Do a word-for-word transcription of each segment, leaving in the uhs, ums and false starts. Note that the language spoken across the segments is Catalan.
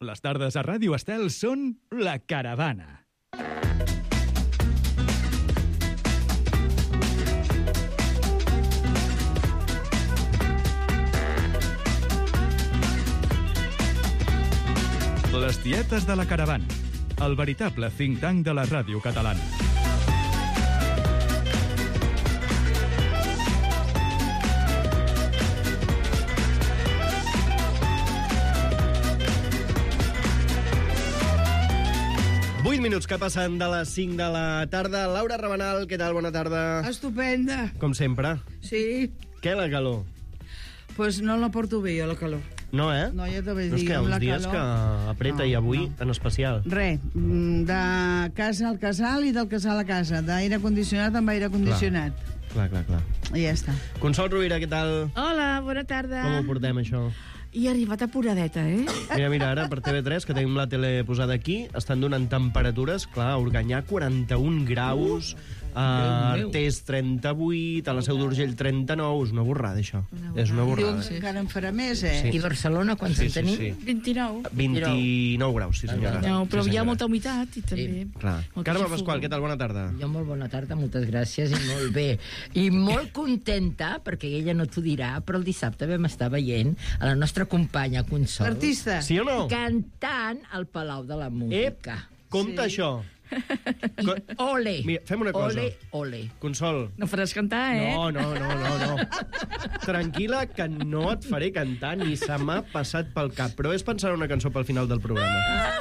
Les tardes a Ràdio Estel són La Caravana. Les tietes de La Caravana, el veritable think tank de la ràdio catalana. vuit minuts que passen de les cinc de la tarda. Laura Rabanal, què tal? Bona tarda. Estupenda. Com sempre. Sí. Què, la calor? Pues no la porto bé, jo, la calor. No, eh? No, ja t'ho vaig No és dir, que amb uns la dies calor... que apreta No, i avui no. en especial. Re, mm, de casa al casal i del casal a casa, d'aire condicionat amb aire condicionat. Clar, clar, clar. I ja està. Consol Rovira, què tal? Hola, bona tarda. Com ho portem, això? I ha arribat apuradeta, eh? Mira, mira, ara per T V tres, que tenim la tele posada aquí, estan donant temperatures, clar, a Organyà quaranta-un graus, a Artés trenta-vuit, a la Seu d'Urgell trenta-nou, és una borrada, això. És una borrada. Diuen que encara en farà més, eh? Sí. I Barcelona, quants Sí, en sí, tenim? sí. vint-i-nou. vint-i-nou graus, sí senyora. No, però sí, hi ha senyora. molta humitat i també... Clar. molta Carme xafogor. Pasqual, què tal? Bona tarda. Jo molt bona tarda, moltes gràcies, i molt bé. I molt contenta, perquè ella no t'ho dirà, però el dissabte vam estar veient a la nostra companya Consol L'artista. Sí o no? cantant al Palau de la Música. Ep, compte Sí. això. Co- Ole! Mira, fem una cosa. Ole, ole. Consol. No faràs cantar, eh? No, no, no, no, no. Tranquil·la, que no et faré cantar, ni se m'ha passat pel cap. Però és pensar en una cançó pel final del programa.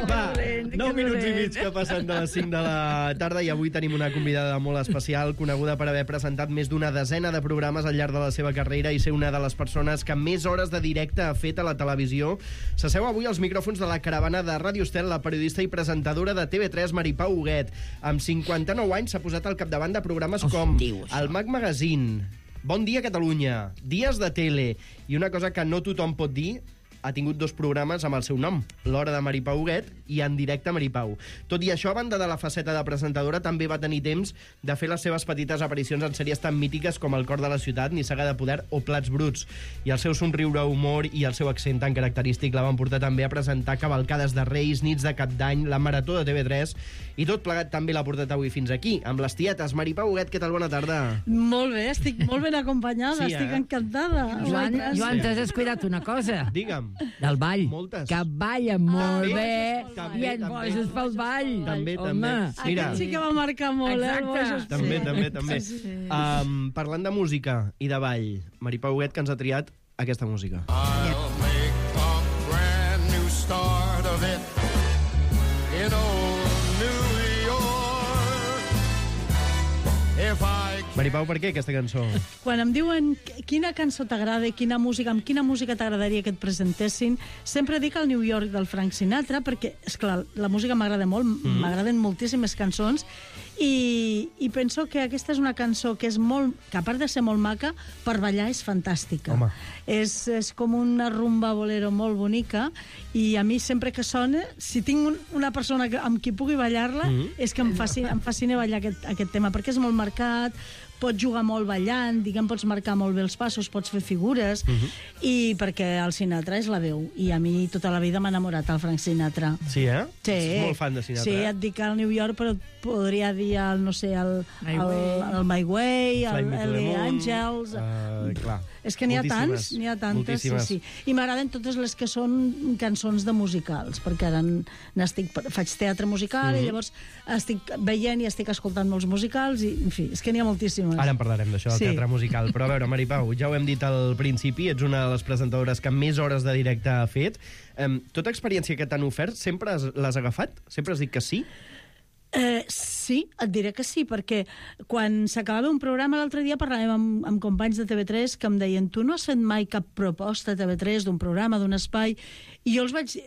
Va, nou minuts i mig que passen de les cinc de la tarda i avui tenim una convidada molt especial, coneguda per haver presentat més d'una desena de programes al llarg de la seva carrera i ser una de les persones que més hores de directe ha fet a la televisió. S'asseu avui als micròfons de la caravana de Ràdio Estel, la periodista i presentadora de T V tres, Maripau Huguet. Amb cinquanta-nou anys s'ha posat al capdavant de programes com diu això? el Mag Magazine, Bon dia Catalunya, Dies de Tele, i una cosa que no tothom pot dir, ha tingut dos programes amb el seu nom, L'Hora de Maripau Huguet i En directe Maripau. Tot i això, a banda de la faceta de presentadora, també va tenir temps de fer les seves petites aparicions en sèries tan mítiques com El cor de la ciutat, Nissaga de poder o Plats bruts. I el seu somriure, humor i el seu accent tan característic la van portar també a presentar cavalcades de Reis, nits de Cap d'Any, la Marató de T V tres, i tot plegat també l'ha portat avui fins aquí, amb les tietes. Maripau Huguet, què tal? Bona tarda. Molt bé, estic molt ben acompanyada, Sí, sí, estic eh? encantada. Joan, Ai, gràcies. Joan, t'has descuidat una cosa. Digue'm. Del ball. Moltes. Que balla molt També, bé també, i et també. poses pel ball. També, Home. també. Mira. Aquest sí que va marcar molt, eh? el Exacte. Bojos. També, Sí. també, també. Sí, sí. Um, parlant de música i de ball, Maripau Huguet, que ens ha triat aquesta música. I'll make a brand new start of it in old New York. If I Maripau, per què aquesta cançó? Quan em diuen quina cançó t'agrada i quina música, amb quina música t'agradaria que et presentessin, sempre dic el New York del Frank Sinatra, perquè, esclar, la música m'agrada molt, m'agraden moltíssimes cançons, i, i penso que aquesta és una cançó que és molt, que a part de ser molt maca, per ballar és fantàstica. Home. És, és com una rumba bolero molt bonica, i a mi sempre que sona, si tinc un, una persona que, amb qui pugui ballar-la, Mhm. és que em fascina, em fascina ballar aquest, aquest tema, perquè és molt marcat, pots jugar molt ballant, diguem, pots marcar molt bé els passos, pots fer figures, Mhm. i perquè el Sinatra és la veu, i a mi tota la vida m'ha enamorat el Frank Sinatra. Sí, eh? Sí. Ets molt fan de Sinatra. Sí, eh? et dic el New York, però et podria dir el, no sé, el My el, Way. el My Way, Fly el Me to the L A Moon, Angels... Uh, clar. És que n'hi ha Moltíssimes, tants, n'hi ha tantes, sí, moltíssimes. sí. I m'agraden totes les que són cançons de musicals, perquè ara n'estic, faig teatre musical Mhm. i llavors estic veient i estic escoltant molts musicals i, en fi, és que n'hi ha moltíssimes. Ara en parlarem d'això, del Sí. teatre musical. Però a veure, Maripau, ja ho hem dit al principi, ets una de les presentadores que més hores de directe ha fet. Um, tota experiència que t'han ofert, sempre has- l'has agafat? Sempre has dit que sí? Eh, sí, et diré que sí, perquè quan s'acabava un programa l'altre dia parlàvem amb, amb companys de T V tres que em deien tu no has fet mai cap proposta a T V tres d'un programa, d'un espai, i jo els vaig dir,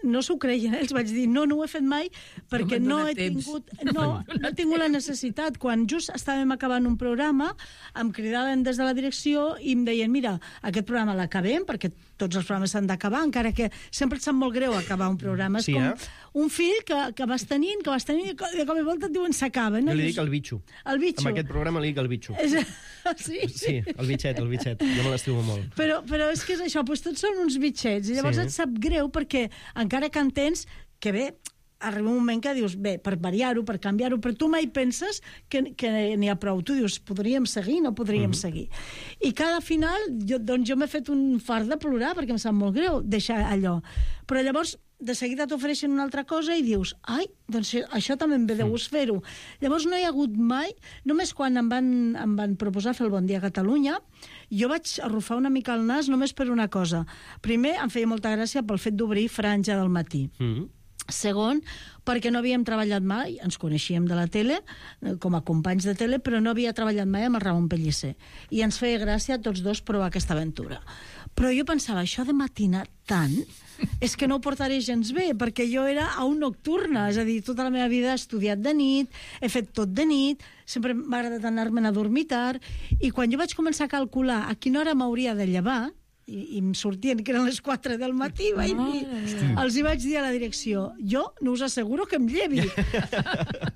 no s'ho creien, eh? Els vaig dir no, no ho he fet mai perquè m'han no, donat he temps. tingut no, no he tingut la necessitat. Quan just estàvem acabant un programa em cridaven des de la direcció i em deien mira, aquest programa l'acabem perquè tots els programes s'han d'acabar, encara que sempre et sap molt greu acabar un programa. És Sí, com eh? un fill que, que vas tenint, que vas tenint, de cop i volta et diuen s'acaba. No? Jo li dic el bitxo. El bitxo. En aquest programa li dic el bitxo. És... Sí? Sí, el bitxet, el bitxet. Jo me l'estimo molt. Però, però és que és això, doncs tots són uns bitxets, i llavors Sí. et sap greu perquè encara que entens que bé, arriba un moment que dius, bé, per variar-ho, per canviar-ho, però tu mai penses que, que n'hi ha prou. Tu dius, podríem seguir, no podríem mm. seguir. I cada final, jo, doncs jo m'he fet un fart de plorar perquè em sap molt greu deixar allò. Però llavors, de seguida t'ofereixen una altra cosa i dius, ai, doncs això també em ve de gust fer-ho. Llavors no hi ha hagut mai, només quan em van, em van proposar fer el Bon Dia Catalunya, jo vaig arrufar una mica el nas només per una cosa. Primer, em feia molta gràcia pel fet d'obrir Franja del matí. Mm. Segon, perquè no havíem treballat mai, ens coneixíem de la tele, com a companys de tele, però no havia treballat mai amb el Ramon Pellicer. I ens feia gràcia a tots dos provar aquesta aventura. Però jo pensava, això de matinar tant, és que no ho portaré gens bé, perquè jo era a un nocturna, és a dir, tota la meva vida he estudiat de nit, he fet tot de nit, sempre m'ha agradat anar-me'n a dormir tard, i quan jo vaig començar a calcular a quina hora m'hauria de llevar, i, i em sortien que eren les quatre del matí, vaig dir, els hi vaig dir a la direcció, jo no us asseguro que em llevi.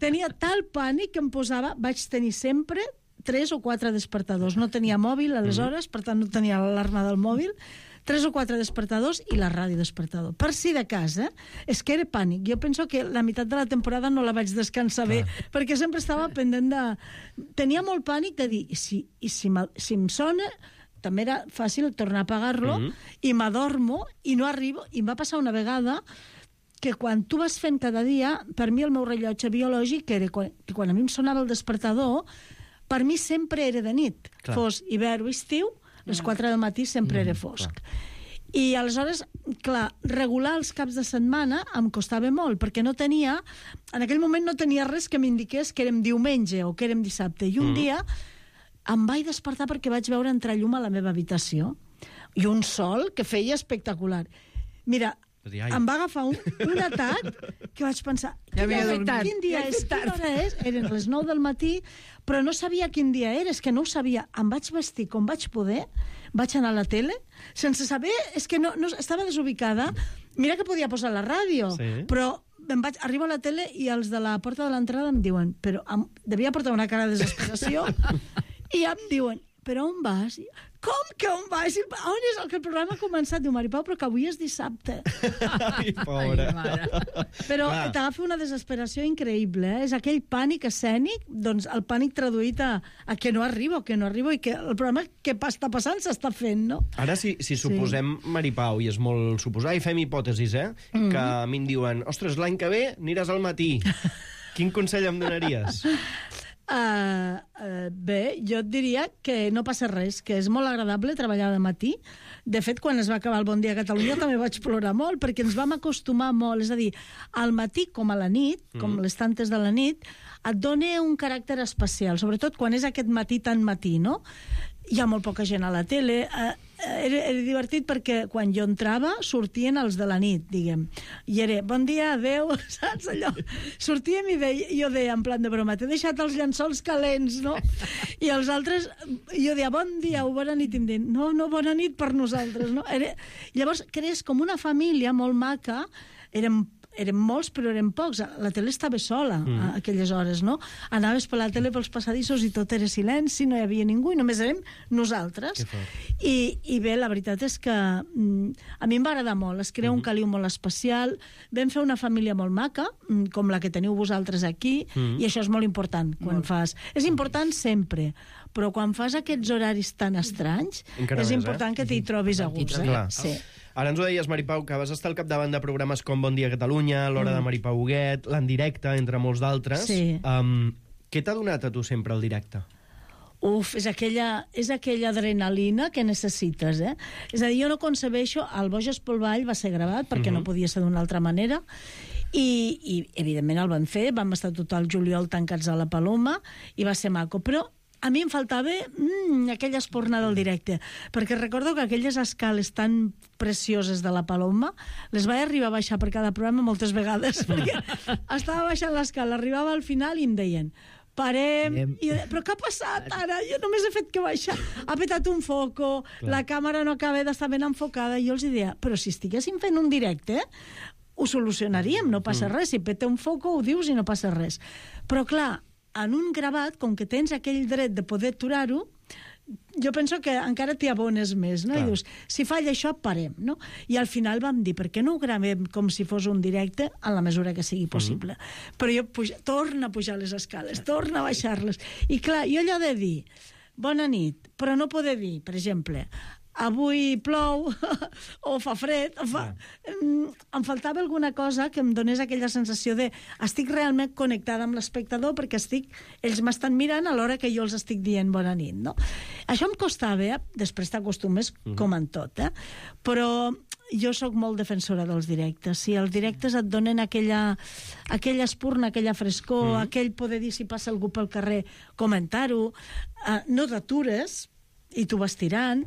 Tenia tal pànic que em posava, vaig tenir sempre tres o quatre despertadors. No tenia mòbil aleshores, per tant no tenia l'alarma del mòbil, tres o quatre despertadors i la ràdio despertador. Per si de cas, eh? És que era pànic. Jo penso que la meitat de la temporada no la vaig descansar bé, perquè sempre estava pendent de... Tenia molt pànic de dir, i si, i si, si em sona... també era fàcil tornar a apagar-lo, mm-hmm. i m'adormo, i no arribo, i em va passar una vegada que quan tu vas fent cada dia, per mi el meu rellotge biològic era quan, que quan a mi em sonava el despertador, per mi sempre era de nit. Clar. Fos hivern o estiu, les quatre del matí sempre mm, era fosc. Clar. I aleshores, clar, regular els caps de setmana em costava molt, perquè no tenia, en aquell moment no tenia res que m'indiqués que érem diumenge o que érem dissabte. I un mm. dia em vaig despertar perquè vaig veure entrar llum a la meva habitació i un sol que feia espectacular. Mira, em va agafar un, un atac que vaig pensar, ja quin, dia, quin dia ja és, quina hora és? Eren les nou del matí, però no sabia quin dia era, és que no ho sabia. Em vaig vestir com vaig poder, vaig anar a la tele, sense saber, és que no, no estava desubicada. Mira que podia posar la ràdio, sí. però em vaig arribar a la tele i els de la porta de l'entrada em diuen, però em, devia portar una cara de desesperació, i em diuen, però on vas? Com que on vas? On és el que el programa ha començat? Diu, Maripau, però que avui és dissabte. Ai, pobra. Ai, però t'agafa una desesperació increïble, eh? És aquell pànic escènic, doncs el pànic traduït a, a que no arribo, que no arribo, i que el programa que està passant s'està fent, no? Ara, si, si suposem, sí. Maripau, i és molt suposar, i fem hipòtesis, eh? Mm. Que a mi em diuen, ostres, l'any que ve aniràs al matí. Quin consell em donaries? Uh, uh, bé, jo et diria que no passa res, que és molt agradable treballar de matí. De fet, quan es va acabar el Bon Dia Catalunya també vaig plorar molt, perquè ens vam acostumar molt. És a dir, al matí com a la nit, com mm. les tantes de la nit, et dona un caràcter especial, sobretot quan és aquest matí tan matí, no? Hi ha molt poca gent a la tele. Uh, era, era divertit perquè quan jo entrava sortien els de la nit, diguem. I era, bon dia, adeu, saps allò? Sortíem i deia, jo deia en plan de broma, t'he deixat els llençols calents, no? I els altres, jo deia, bon dia o bona nit, i em deien, no, no, bona nit per nosaltres, no? Era... Llavors crees com una família molt maca, érem érem molts, però érem pocs. La tele estava sola mm. a aquelles hores, no? Anaves per la tele pels passadissos i tot era silenci, no hi havia ningú, i només érem nosaltres. I, I bé, la veritat és que mm, a mi em va agradar molt, es crea mm. un caliu molt especial, vam fer una família molt maca, mm, com la que teniu vosaltres aquí, mm. i això és molt important quan molt. fas. És important sempre, però quan fas aquests horaris tan estranys, encara és més, important eh? que t'hi trobis a gust. Eh? Sí. Ara ens ho deies, Maripau, que vas estar al capdavant de programes com Bon Dia Catalunya, l'Hora mm. de Maripau Huguet, l'En Directe, entre molts d'altres. Sí. Um, què t'ha donat a tu sempre el directe? Uf, és aquella, és aquella adrenalina que necessites, eh? És a dir, jo no concebeixo... El Boges pel Ball va ser gravat, perquè mm-hmm. no podia ser d'una altra manera, i, i evidentment el van fer, vam estar tot el juliol tancats a la Paloma, i va ser maco, però a mi em faltava mm, aquella espornada del directe, perquè recordo que aquelles escales tan precioses de la Paloma les vaig arribar a baixar per cada programa moltes vegades, perquè estava baixant l'escala, arribava al final i em deien parem, i jo deia, però què ha passat ara? Jo només he fet que baixar, ha petat un foco, clar. La càmera no acaba d'estar ben enfocada, i jo els deia, però si estiguéssim fent un directe, ho solucionaríem, no passa res. Si peta un foco, ho dius i no passa res. Però, clar, en un gravat, com que tens aquell dret de poder aturar-ho, jo penso que encara t'hi abones més, no? Clar. I dius, si falla això, parem, no? I al final vam dir, per què no ho gravem com si fos un directe en la mesura que sigui possible? Mm-hmm. Però jo puja, torna a pujar les escales, torna a baixar-les. I clar, jo allò de dir, bona nit, però no poder dir, per exemple, avui plou o fa fred o fa... Yeah. Em faltava alguna cosa que em donés aquella sensació de estic realment connectada amb l'espectador perquè estic, ells m'estan mirant a l'hora que jo els estic dient bona nit, no? Això em costava, eh? Després t'acostumes mm-hmm. com en tot, eh? Però jo sóc molt defensora dels directes. Si els directes et donen aquella, aquella espurna, aquella frescor, mm-hmm. aquell poder dir si passa algú pel carrer, comentar-ho, eh, no t'atures i tu vas tirant,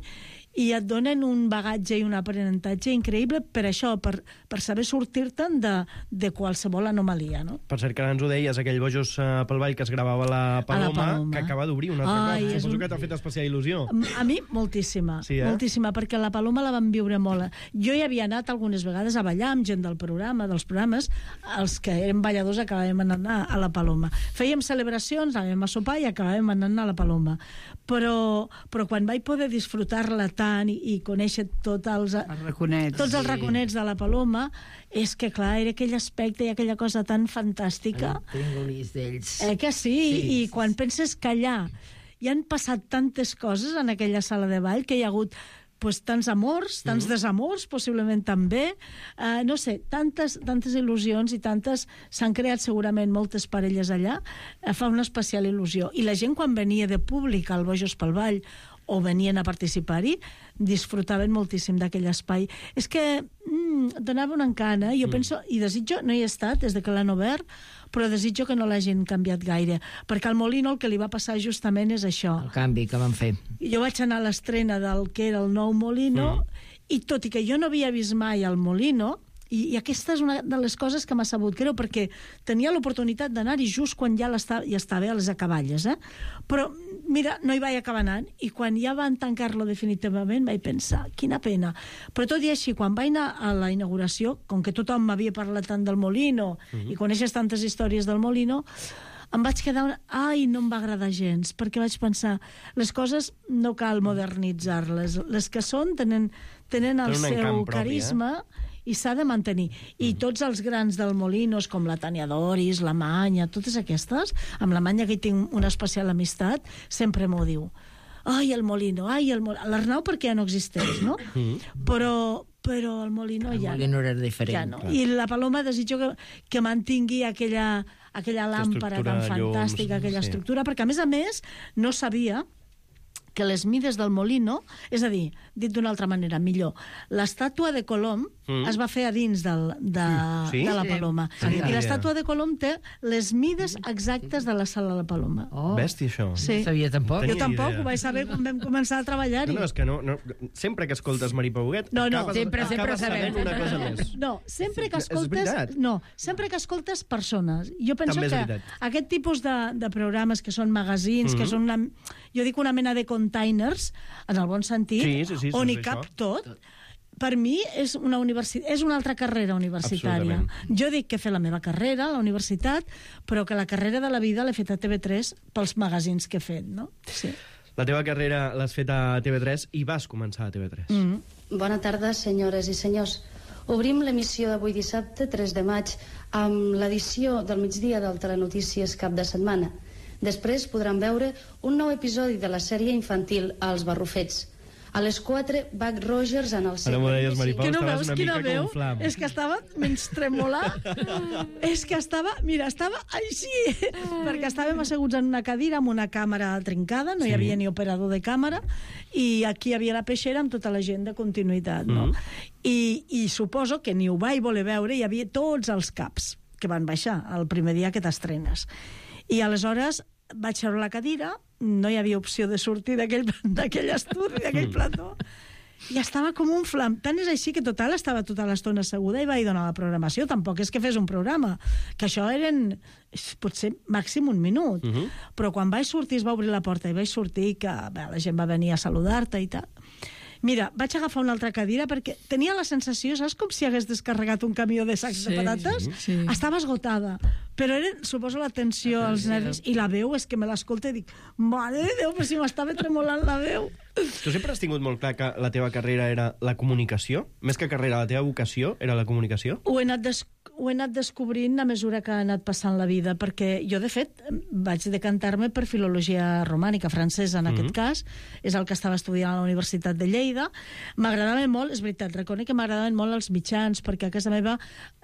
i et donen un bagatge i un aprenentatge increïble per això, per, per saber sortir-te'n de, de qualsevol anomalia, no? Per cert, que ara ens ho deies, aquell Bojos uh, pel Ball que es gravava a la Paloma, a la Paloma. Que acaba d'obrir un altre Ai, cop. Suposo un... que t'ha fet especial il·lusió. A mi, moltíssima. Sí, eh? Moltíssima, perquè la Paloma la vam viure molt. Jo hi havia anat algunes vegades a ballar amb gent del programa, dels programes, els que érem balladors acabàvem anant a la Paloma. Fèiem celebracions, anàvem a sopar i acabàvem anant a la Paloma. Però, però quan vaig poder disfrutar-la tant i, i conèixer tots els, els raconets, tots els raconets de la Paloma, és que, clar, era aquell aspecte i aquella cosa tan fantàstica. El tringolis d'ells. Eh que sí? sí? I quan penses que allà hi han passat tantes coses en aquella sala de ball, que hi ha hagut pues, tants amors, tants mm. desamors, possiblement també, uh, no sé, tantes, tantes il·lusions i tantes... S'han creat segurament moltes parelles allà, uh, fa una especial il·lusió. I la gent, quan venia de públic al Bojos pel Ball o venien a participar-hi, disfrutaven moltíssim d'aquell espai. És que mm, donava un encant, eh? Jo mm. penso, i desitjo, no hi he estat des de que l'han obert, però desitjo que no l'hagin canviat gaire, perquè al Molino el que li va passar justament és això. El canvi que van fer. Jo vaig anar a l'estrena del que era el nou Molino, mm. i tot i que jo no havia vist mai el Molino, i, i aquesta és una de les coses que m'ha sabut greu, perquè tenia l'oportunitat d'anar-hi just quan ja, ja estava a les acaballes, eh? Però, mira, no hi vaig acabar anant, i quan ja van tancar-lo definitivament vaig pensar, quina pena. Però tot i així, quan vaig anar a la inauguració, com que tothom m'havia parlat tant del Molino, mm-hmm. i coneixes tantes històries del Molino, em vaig quedar... Ai, no em va agradar gens, perquè vaig pensar, les coses no cal modernitzar-les. Les que són tenen, tenen el seu propi, carisma... Eh? I s'ha de mantenir. I mm. tots els grans del Molinos, com la Tània Doris, la Manya, totes aquestes, amb la Manya que hi tinc una especial amistat, sempre m'ho diu. Ai, el Molino, ai, el Molino. L'Arnau perquè ja no existeix, no? Mm. Però, però el Molino el ja Molino no. era diferent. Ja no. I la Paloma desitjo que, que mantingui aquella, aquella làmpara tan fantàstica, aquella sí. estructura, perquè a més a més no sabia que les mides del Molino, és a dir, dit d'una altra manera, millor, l'estàtua de Colom mm. es va fer a dins del, de, sí? de la Paloma. Sí. I l'estàtua de Colom té les mides exactes de la sala de la Paloma. Oh. Bèstia, això. Sí. No sabia tampoc. Jo tampoc, idea. Ho vaig saber quan vam començar a treballar-hi. No, no, és que no, no, sempre que escoltes Maripà Huguet, no, no. acabes, sempre, acabes sempre sabent una cosa més. No, sempre que escoltes... No, sempre que escoltes persones. Jo penso també que aquest tipus de, de programes que són magazines, mm-hmm. que són una... Jo dic una mena de containers, en el bon sentit, sí, sí, sí, on hi cap tot, per mi és una, universi- és una altra carrera universitària. Jo dic que he fet la meva carrera a la universitat, però que la carrera de la vida l'he fet a T V tres pels magazins que he fet, no? Sí. La teva carrera l'has fet a T V tres i vas començar a T V tres. Mm-hmm. Bona tarda, senyores i senyors. Obrim l'emissió d'avui dissabte, tres de maig, amb l'edició del migdia del Telenotícies cap de setmana. Després podran veure un nou episodi de la sèrie infantil Els Barrufets. A les quatre, Buck Rogers en el segle... Ara m'ho deies, Maripau, que no estaves veus una quina mica veu? com un flam. És que estava menys tremolar. És que estava... Mira, estava així. Perquè estàvem asseguts en una cadira amb una càmera trincada, no sí. hi havia ni operador de càmera, i aquí hi havia la peixera amb tota la gent de continuïtat, no? Mm. I, I suposo que ni ho vaig voler veure, hi havia tots els caps que van baixar el primer dia que t'estrenes. I aleshores vaig seure la cadira, no hi havia opció de sortir d'aquell estudi, d'aquell plató, i estava com un flam. Tant és així que total estava tota l'estona asseguda i vaig donar la programació. Tampoc és que fes un programa, que això eren potser màxim un minut. Uh-huh. Però quan vaig sortir, es va obrir la porta i vaig sortir, que bé, la gent va venir a saludar-te i tal. Mira, vaig agafar una altra cadira perquè tenia la sensació, saps com si hagués descarregat un camió de sacs Sí, de patates? sí. Estava esgotada. Però era, suposo, la tensió, els nervis, i la veu és que me l'escolta i dic, mare de Déu, però si m'estava tremolant la veu. Tu sempre has tingut molt clar que la teva carrera era la comunicació? Més que carrera, la teva vocació era la comunicació? Ho he anat, des ho he anat descobrint a mesura que ha anat passant la vida, perquè jo, de fet, vaig decantar-me per filologia romànica, francesa en mm-hmm. aquest cas, és el que estava estudiant a la Universitat de Lleida. M'agradava molt, és veritat, reconec que m'agradaven molt els mitjans, perquè a casa meva,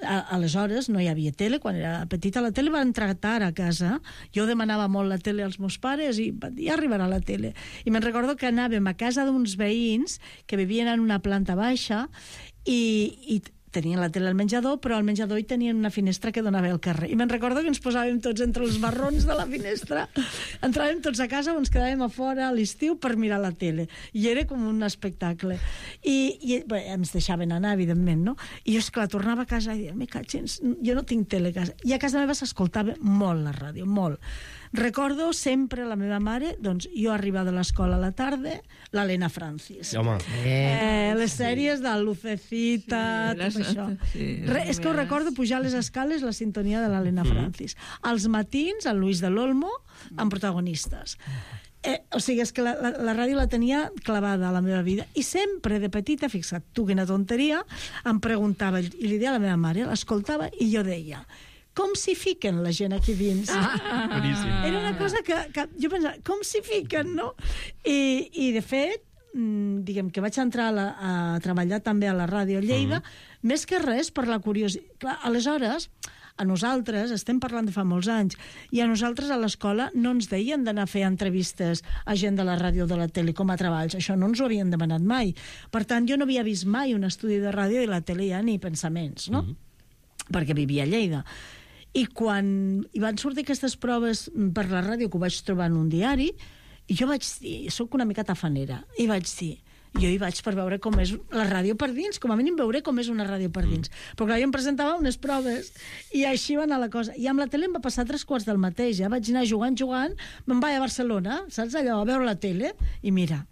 a aleshores, no hi havia tele, quan era petita, la tele va entrar tard a casa, jo demanava molt la tele als meus pares i ja arribarà la tele. I me'n recordo que anàvem a casa d'uns veïns que vivien en una planta baixa i, i tenien la tele al menjador, però al menjador hi tenien una finestra que donava al carrer. I me'n recordo que ens posàvem tots entre els barrons de la finestra, entràvem tots a casa o ens quedàvem a fora a l'estiu per mirar la tele. I era com un espectacle. I, i bé, ens deixaven anar, evidentment, no? I jo, esclar, tornava a casa i deia, me catxins, jo no tinc tele a casa. I a casa meva s'escoltava molt la ràdio, molt. Recordo sempre la meva mare, doncs jo arribava de l'escola a la tarda, l'Helena Francis. Home. Eh, les sèries de Lucecita, Sí, tot les- això. sí, Re, és que ho recordo pujar les escales la sintonia de l'Helena Francis. Als matins, el Luis de l'Olmo, amb protagonistes. Eh, o sigui, és que la, la, la ràdio la tenia clavada a la meva vida. I sempre, de petita, fixa't, tu quina tonteria, em preguntava, i li deia a la meva mare, l'escoltava, i jo deia, com s'hi fiquen la gent aquí dins? Ah, boníssim. Era una cosa que, que jo pensava, com s'hi fiquen, no? I, i de fet, mm, diguem que vaig entrar a, la, a treballar també a la ràdio a Lleida, mm. més que res per la curiositat. Clar, aleshores, a nosaltres, estem parlant de fa molts anys, i a nosaltres a l'escola no ens deien d'anar a fer entrevistes a gent de la ràdio o de la tele com a treballs. Això no ens ho havien demanat mai. Per tant, jo no havia vist mai un estudi de ràdio i la tele ja ni pensaments, no? Mm. Perquè vivia a Lleida. I quan hi van sortir aquestes proves per la ràdio, que ho vaig trobar en un diari, i jo vaig dir, soc una mica tafanera, i vaig dir, jo hi vaig per veure com és la ràdio per dins, com a mínim veure com és una ràdio per dins. Mm. Però clar, jo em presentava unes proves, i així va anar la cosa. I amb la tele em va passar tres quarts del mateix, ja vaig anar jugant, jugant, me'n vaig a Barcelona, saps allò, a veure la tele, i mira,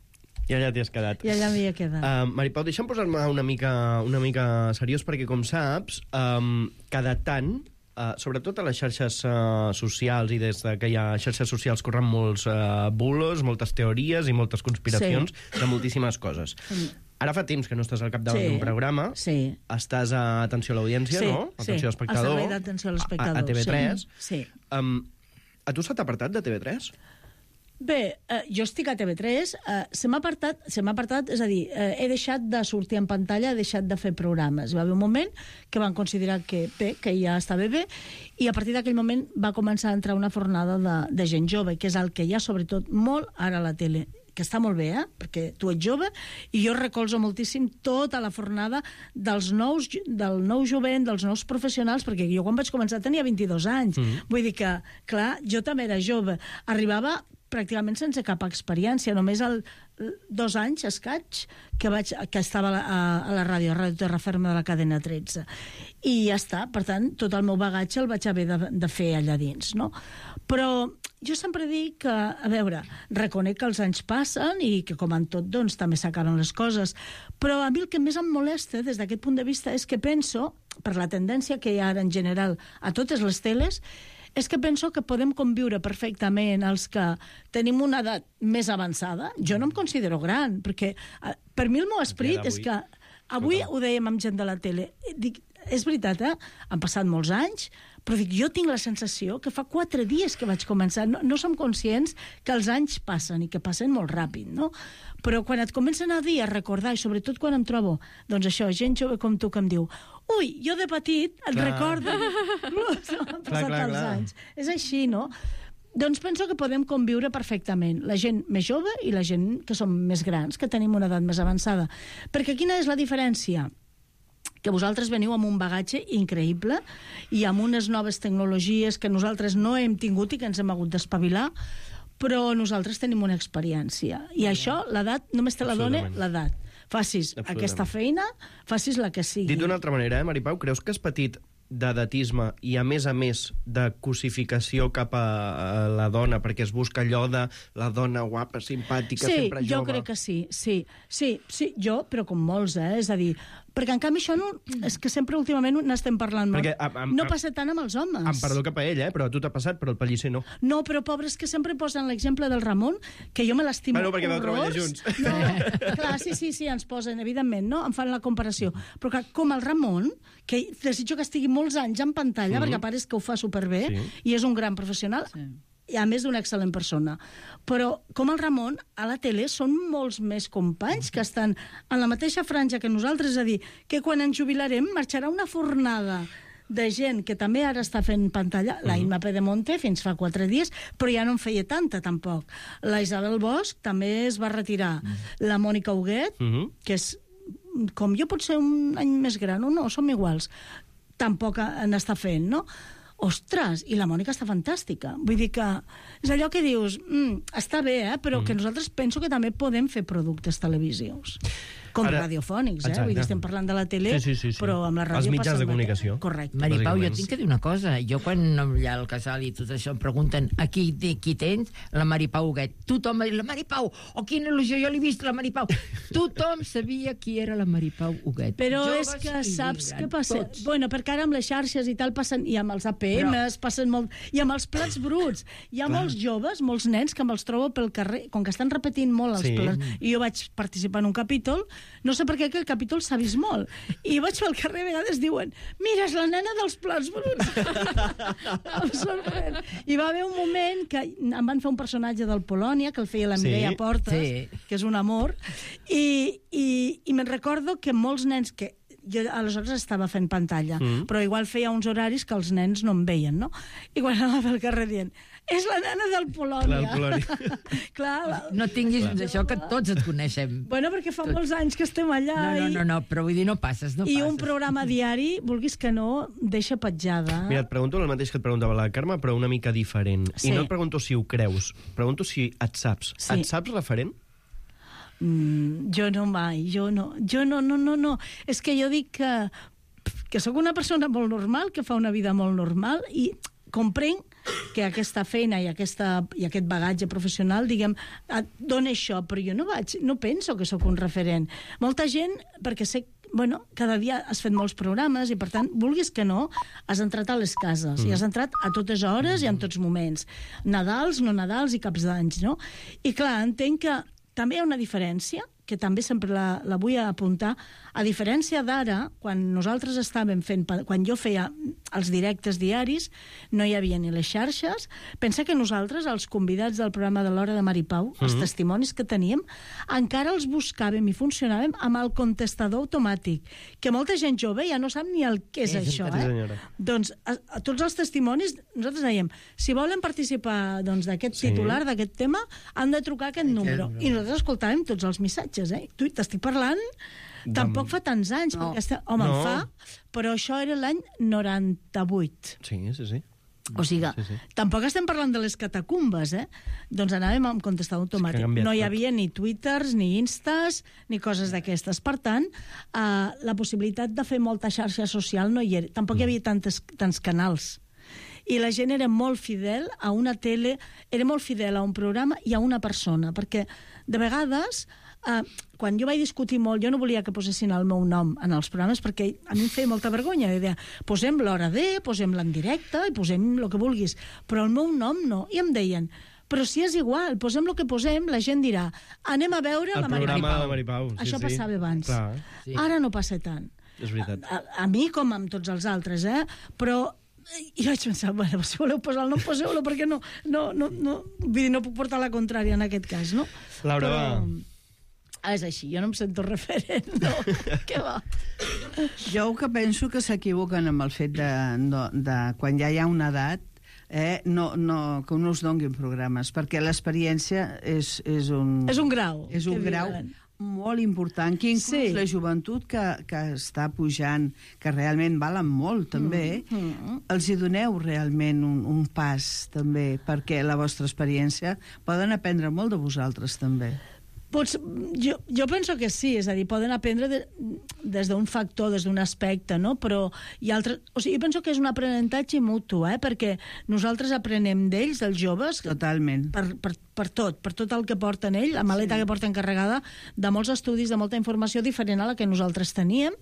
I allà t'hi has quedat. i allà m'hi he quedat. Uh, Maripau, deixa'm posar-me una mica, una mica seriós, perquè, com saps, um, cada tant, uh, sobretot a les xarxes uh, socials, i des de que hi ha xarxes socials corren molts uh, bulos, moltes teories i moltes conspiracions sí. de moltíssimes coses. Ara fa temps que no estàs al capdavant Sí. d'un programa. Sí. Estàs a Atenció a l'Audiència, Sí, no? sí, Atenció a l'Espectador. al servei d'atenció a l'espectador, A, a T V tres. sí, sí. Um, a tu s'ha apartat de T V tres? Bé, eh, jo estic a T V tres, eh, se m'ha apartat, se m'ha apartat, és a dir, eh, he deixat de sortir en pantalla, he deixat de fer programes. Va haver un moment que van considerar que bé, que ja estava bé, i a partir d'aquell moment va començar a entrar una fornada de, de gent jove, que és el que hi ha sobretot molt ara a la tele, que està molt bé, eh? Perquè tu ets jove, i jo recolzo moltíssim tota la fornada dels nous, del nou jovent, dels nous professionals, perquè jo quan vaig començar tenia vint-i-dos anys. Mm-hmm. Vull dir que, clar, jo també era jove. Arribava pràcticament sense cap experiència, només el dos anys escaig que, vaig, que estava a, a la ràdio, a Ràdio Terraferma de la cadena tretze. I ja està, per tant, tot el meu bagatge el vaig haver de, de fer allà dins, no? Però jo sempre dic que, a veure, reconec que els anys passen i que, com en tot, doncs, també s'acaben les coses, però a mi el que més em molesta des d'aquest punt de vista és que penso, per la tendència que hi ha ara en general a totes les teles, és que penso que podem conviure perfectament els que tenim una edat més avançada. Jo no em considero gran, perquè eh, per mi el meu esperit és que avui ho dèiem amb gent de la tele. Dic, és veritat, eh? Han passat molts anys, però dic, jo tinc la sensació que fa quatre dies que vaig començar. No, no som conscients que els anys passen i que passen molt ràpid, no? Però quan et comencen a dir, a recordar, i sobretot quan em trobo, doncs això, gent jove com tu que em diu, ui, jo de petit et Clar. recordo. Han passat clar, els clar. anys. És així, no? Doncs penso que podem conviure perfectament, la gent més jove i la gent que som més grans, que tenim una edat més avançada. Perquè quina és la diferència? Que vosaltres veniu amb un bagatge increïble i amb unes noves tecnologies que nosaltres no hem tingut i que ens hem hagut d'espavilar, però nosaltres tenim una experiència. I això, l'edat, només te la dona l'edat. Facis aquesta feina, facis la que sigui. Dit d'una altra manera, eh, Maripau, creus que has patit d'edatisme i, a més a més, de cosificació cap a la dona, perquè es busca allò de la dona guapa, simpàtica, sí, sempre jove. Sí, jo crec que sí, sí, sí, sí, jo, però com molts, eh? És a dir, perquè en canvi això no... És que sempre últimament n'estem parlant molt. Perquè, am, am, no passa tant amb els homes. Em perdó cap a ell, eh? Però a tu t'ha passat, però el Pellicer no. No, però pobres que sempre posen l'exemple del Ramon, que jo me l'estimo bueno, perquè vau treballar junts. No, clar, sí, sí, sí, ens posen, evidentment, no? Em fan la comparació. Però que, com el Ramon, que desitjo que estigui molts anys en pantalla, mm-hmm. perquè a part és que ho fa superbé, sí. i és un gran professional, sí. i a més d'una excel·lent persona. Però, com el Ramon, a la tele són molts més companys que estan en la mateixa franja que nosaltres, és a dir, que quan ens jubilarem marxarà una fornada de gent que també ara està fent pantalla, la Imma Pedemonte fins fa quatre dies, però ja no en feia tanta, tampoc. La Isabel Bosch també es va retirar. La Mònica Huguet, uh-huh. que és, com jo, pot ser un any més gran, o no, som iguals, tampoc n'està fent, no? Ostres, i la Mònica està fantàstica. Vull dir que és allò que dius, mm, està bé, eh? Però mm. que nosaltres penso que també podem fer productes televisius. Com Ara, radiofònics, eh? Vull dir, estem parlant de la tele, sí, sí, sí, sí. però amb la ràdio... Els mitjans de comunicació. Correcte. Mari Pau, jo tinc que dir una cosa. Jo, quan allà al casal i tot això em pregunten a qui, qui tens, la Mari Pau Huguet. Tothom va dir, la Mari Pau, oh, quina il·lusió, jo l'he vist, la Mari Pau. Tothom sabia qui era la Mari Pau Huguet. Però Joves és que saps què passa? Tots. Bueno, perquè ara amb les xarxes i tal passen, i amb els A P Ms però... passen molt... I amb els plats bruts. Hi ha Clar. molts joves, molts nens, que me'ls trobo pel carrer, com que estan repetint molt els sí. plats. I jo vaig participar en un capítol, no sé per què el capítol s'ha vist molt. I vaig pel carrer, a vegades diuen, mira, és la nena dels plats bruts. Em sorprèn. I va haver un moment que em van fer un personatge del Polònia, que el feia la Mireia sí, Portes, sí. que és un amor, i, i, i me'n recordo que molts nens que jo aleshores estava fent pantalla, mm. però igual feia uns horaris que els nens no em veien, no? I quan anava pel carrer dient, és la nena del Polònia. Clar, Polònia. Clar, no tinguis Clar. d'això, que tots et coneixem. Bueno, perquè fa Tot. molts anys que estem allà. No, no, no, no, però vull dir, no passes, no I passes. un programa diari, vulguis que no, deixa petjada. Mira, et pregunto el mateix que et preguntava la Carme, però una mica diferent. Sí. I no et pregunto si ho creus, pregunto si et saps. Sí. Et saps referent? Mm, jo no mai, jo no. Jo no, no, no, no. És que jo dic que, que sóc una persona molt normal, que fa una vida molt normal, i comprenc que aquesta feina i, aquesta, i aquest bagatge professional, diguem, et dona això, però jo no vaig, no penso que sóc un referent. Molta gent, perquè sé, bueno, cada dia has fet molts programes i, per tant, vulguis que no, has entrat a les cases, mm. i has entrat a totes hores i en tots moments. Nadals, no Nadals i caps d'anys, no? I, clar, entenc que també hi ha una diferència, que també sempre la, la vull apuntar, a diferència d'ara, quan nosaltres estàvem fent, quan jo feia els directes diaris, no hi havia ni les xarxes. Pensa que nosaltres, els convidats del programa de l'Hora de Mari Pau, mm-hmm. els testimonis que teníem, encara els buscàvem i funcionàvem amb el contestador automàtic, que molta gent jove ja no sap ni el que és, és això. Eh? Doncs a, a tots els testimonis, nosaltres dèiem, si volen participar doncs, d'aquest sí. titular, d'aquest tema, han de trucar aquest número. I nosaltres escoltàvem tots els missatges. Eh? Tu t'estic parlant, de... tampoc fa tants anys, no. perquè este... home, no. fa, però això era l'any noranta-vuit. Sí, sí, sí. O sigui, sí, sí. tampoc estem parlant de les catacumbes, eh? Doncs anàvem amb contestador automàtic. No hi havia ni Twitters, ni Instas, ni coses d'aquestes. Per tant, eh, la possibilitat de fer molta xarxa social no hi era. Tampoc no. hi havia tantes, tants canals. I la gent era molt fidel a una tele, era molt fidel a un programa i a una persona, perquè de vegades, eh, quan jo vaig discutir molt, jo no volia que posessin el meu nom en els programes, perquè a mi em feia molta vergonya. Jo deia, posem l'hora de, posem-la en directe i posem el que vulguis, però el meu nom no. I em deien, però si és igual, posem el que posem, la gent dirà, anem a veure el la Mari Pau. El programa de la Mari Pau. Sí, Això sí. passava abans. Clar. Sí. Ara no passa tant. És veritat. A, a, a mi com amb tots els altres, eh? Però i vaig pensar, bueno, si voleu posar el nom, poseu-lo, perquè no, no, no, no, vull dir, no puc portar la contrària en aquest cas, no? Laura, però, va. Ah, és així, jo no em sento referent, no? Què va? Jo el que penso que s'equivoquen amb el fet de, de, de quan ja hi ha una edat, eh, no, no, que no us donguin programes, perquè l'experiència és, és un... És un grau. És un grau diuen. Molt important, que inclús sí. la joventut que, que està pujant, que realment valen molt, també, mm, mm. els hi doneu realment un, un pas, també, perquè la vostra experiència poden aprendre molt de vosaltres, també. Pots, jo, jo penso que sí, és a dir, poden aprendre de, des d'un factor, des d'un aspecte, no? Però hi ha altres... O sigui, jo penso que és un aprenentatge mutu, eh? Perquè nosaltres aprenem d'ells, dels joves... Totalment. Per, per, per tot, per tot el que porten ells, la maleta sí. que porten carregada de molts estudis, de molta informació diferent a la que nosaltres teníem.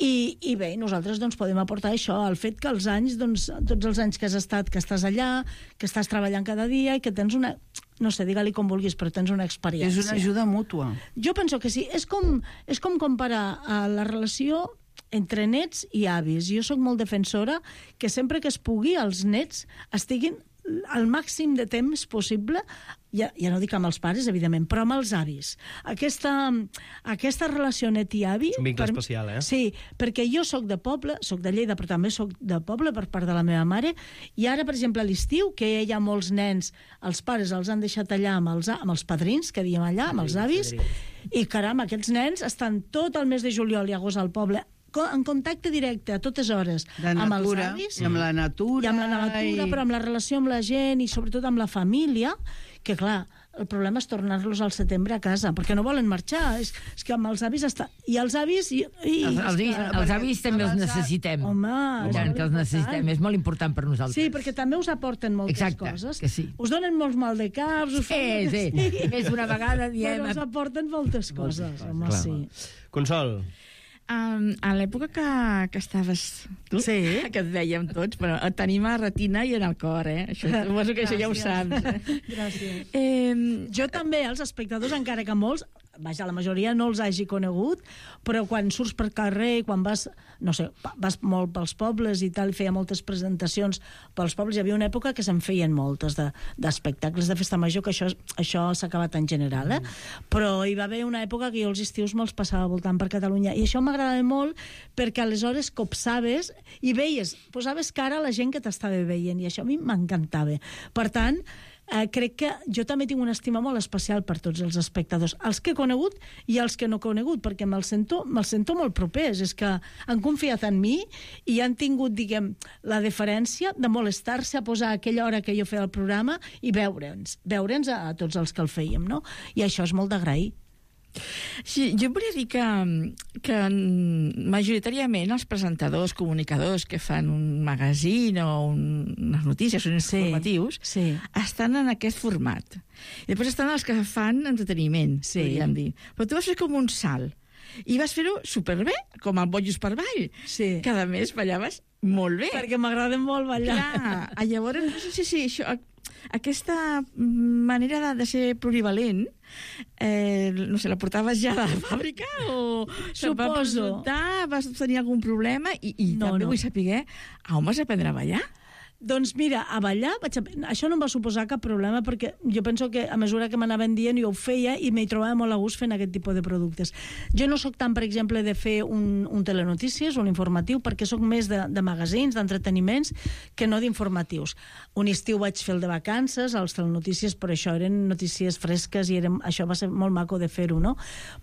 I, i bé, nosaltres doncs, podem aportar això, el fet que els anys, doncs, tots els anys que has estat, que estàs allà, que estàs treballant cada dia i que tens una... no sé, digue-li com vulguis, però tens una experiència. És una ajuda mútua. Jo penso que sí. És com, és com comparar uh, la relació entre nets i avis. Jo sóc molt defensora que sempre que es pugui els nets estiguin al màxim de temps possible, ja, ja no dic amb els pares, evidentment, però amb els avis. Aquesta, aquesta relació net i avi... És un vincle per, especial, eh? Sí, perquè jo sóc de poble, sóc de Lleida, però també sóc de poble per part de la meva mare, i ara, per exemple, a l'estiu, que hi ha molts nens, els pares els han deixat allà amb els, amb els padrins, que diem allà, amb els avis, i caram, aquests nens estan tot el mes de juliol i agost al poble, en contacte directe a totes hores de amb els natura, avis i amb la natura, i amb la natura i... però amb la relació amb la gent i sobretot amb la família, que clar, el problema és tornar-los al setembre a casa, perquè no volen marxar, és, és que amb els avis està... I els avis... I, i, els, els, que, els avis també els necessitem. Home, és tant que els necessitem, és molt important per nosaltres. Sí, perquè també us aporten moltes Exacte, coses. Que sí. Us donen molts mal de caps, us sí, sí. sí. Més una vegada diem... Però us aporten moltes coses, home, clar. sí. Consol. Um, a l'època que, que estaves tu, sí. que et dèiem tots, però et tenim a retina i en el cor, eh? Això, suposo que això ja ho saps. Eh? Gràcies. Eh, jo també, els espectadors, encara que molts, vaja, la majoria no els hagi conegut, però quan surts per carrer, quan vas, no sé, vas molt pels pobles i tal, i feia moltes presentacions pels pobles, hi havia una època que se'n feien moltes d'espectacles de, de festa major, que això, això s'ha acabat en general, eh? Mm. Però hi va haver una època que jo els estius me'ls passava voltant per Catalunya, i això m'agradava molt perquè aleshores copsaves i veies, posaves cara a la gent que t'estava veient, i això a mi m'encantava. Per tant, Eh, crec que jo també tinc una estima molt especial per tots els espectadors, els que he conegut i els que no he conegut, perquè me'ls sento, me sento molt propers, és que han confiat en mi i han tingut, diguem, la deferència de molestar-se a posar aquella hora que jo feia el programa i veure'ns, veure'ns a, a tots els que el fèiem, no? I això és molt d'agrair. Sí, jo volia dir que, que majoritàriament els presentadors, comunicadors que fan un magazín o un, unes notícies, uns sí, informatius, sí. estan en aquest format. I després estan els que fan entreteniment, sí. podríem dir. Però tu vas fer com un salt. I vas fer-ho superbé, com el Bojos per Ball. Sí. Cada mes ballaves molt bé. Perquè m'agrada molt ballar. Clar, llavors, no sé si això... Aquesta manera de, de ser plurivalent, eh, no sé, la portaves ja de la fàbrica o Suposo. Va presentar, vas tenir algun problema i, i no, també no. vull saber on vas aprendre a ballar? Doncs mira, a ballar, vaig a... això no em va suposar cap problema perquè jo penso que a mesura que m'anaven dient jo ho feia i m'hi trobava molt a gust fent aquest tipus de productes. Jo no sóc tant, per exemple, de fer un, un telenotícies, un informatiu, perquè sóc més de, de magazins, d'entreteniments, que no d'informatius. Un estiu vaig fer el de vacances, els telenotícies, però això eren notícies fresques i eren, això va ser molt maco de fer-ho, no?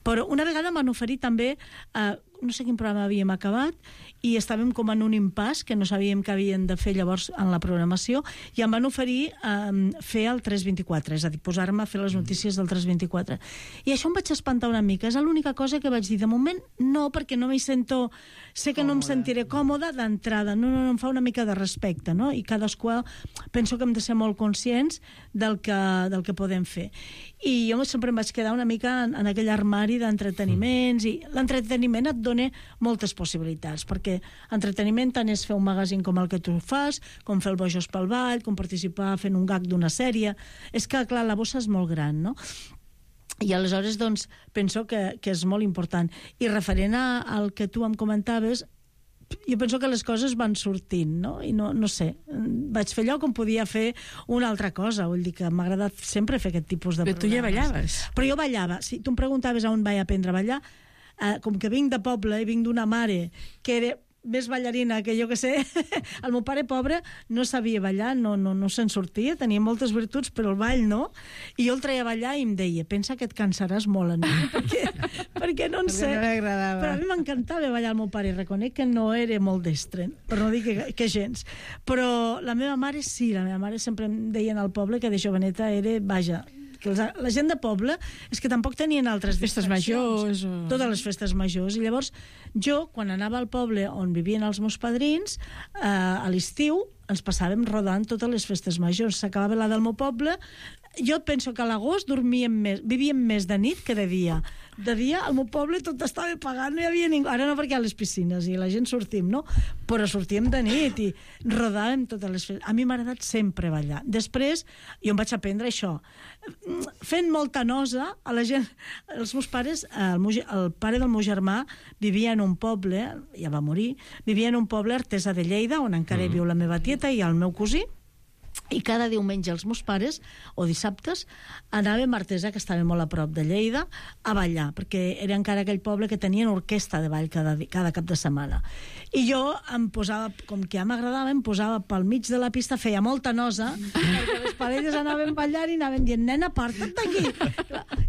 Però una vegada m'han oferit també... Eh, no sé quin programa havíem acabat i estàvem com en un impàs que no sabíem què havien de fer llavors en la programació i em van oferir um, fer el tres vint-i-quatre, és a dir, posar-me a fer les notícies del tres vint-i-quatre. I això em vaig espantar una mica, és l'única cosa que vaig dir, de moment no, perquè no m'hi sento, sé que no em sentiré còmoda d'entrada, no, no, no, em fa una mica de respecte, no? I cadascú penso que hem de ser molt conscients del que, del que podem fer. I jo sempre em vaig quedar una mica en, en aquell armari d'entreteniments i l'entreteniment et dona moltes possibilitats, perquè entreteniment tant és fer un magazín com el que tu fas, com fer el Bojos pel Ball, com participar fent un gag d'una sèrie. És que, clar, la bossa és molt gran, no? I aleshores, doncs, penso que, que és molt important. I referent a, al que tu em comentaves, jo penso que les coses van sortint, no? I no, no sé, vaig fer allò com podia fer una altra cosa, vull dir que m'ha agradat sempre fer aquest tipus de Però programes. tu ja ballaves. Però jo ballava. Si tu em preguntaves on vaig aprendre a ballar, eh, com que vinc de poble i vinc d'una mare que era més ballarina que jo que sé, el meu pare pobre no sabia ballar, no, no, no se'n sortia, tenia moltes virtuts, però el ball no, i jo el treia a ballar i em deia, pensa que et cansaràs molt, no? perquè, perquè no en sé. No m'agradava. Però a mi m'encantava ballar el meu pare, i reconec que no era molt destre, per no dir que, que gens. Però la meva mare sí, la meva mare sempre em deia al poble que de joveneta era, vaja, que els, la gent de poble és que tampoc tenien altres Festes majors o... Totes les festes majors. I llavors jo, quan anava al poble on vivien els meus padrins, eh, a l'estiu ens passàvem rodant totes les festes majors. S'acabava la del meu poble. Jo penso que a l'agost dormíem més, vivíem més de nit que de dia. De dia, al meu poble tot estava pagat, no hi havia ningú. Ara no, perquè hi ha les piscines i la gent sortim, no? Però sortíem de nit i rodàvem totes les festes. A mi m'ha agradat sempre ballar. Després, jo em vaig aprendre això. Fent molta nosa, a la gent... Els meus pares, el, meu, el pare del meu germà vivia en un poble, ja va morir, vivia en un poble artesà de Lleida, on encara hi viu la meva tieta i el meu cosí, i cada diumenge els meus pares, o dissabtes, anàvem a Artesa, que estava molt a prop de Lleida, a ballar, perquè era encara aquell poble que tenien orquestra de ball cada, cada cap de setmana. I jo em posava, com que ja m'agradava, em posava pel mig de la pista, feia molta nosa, perquè les parelles anaven ballant i anaven dient, nena, aparta't d'aquí.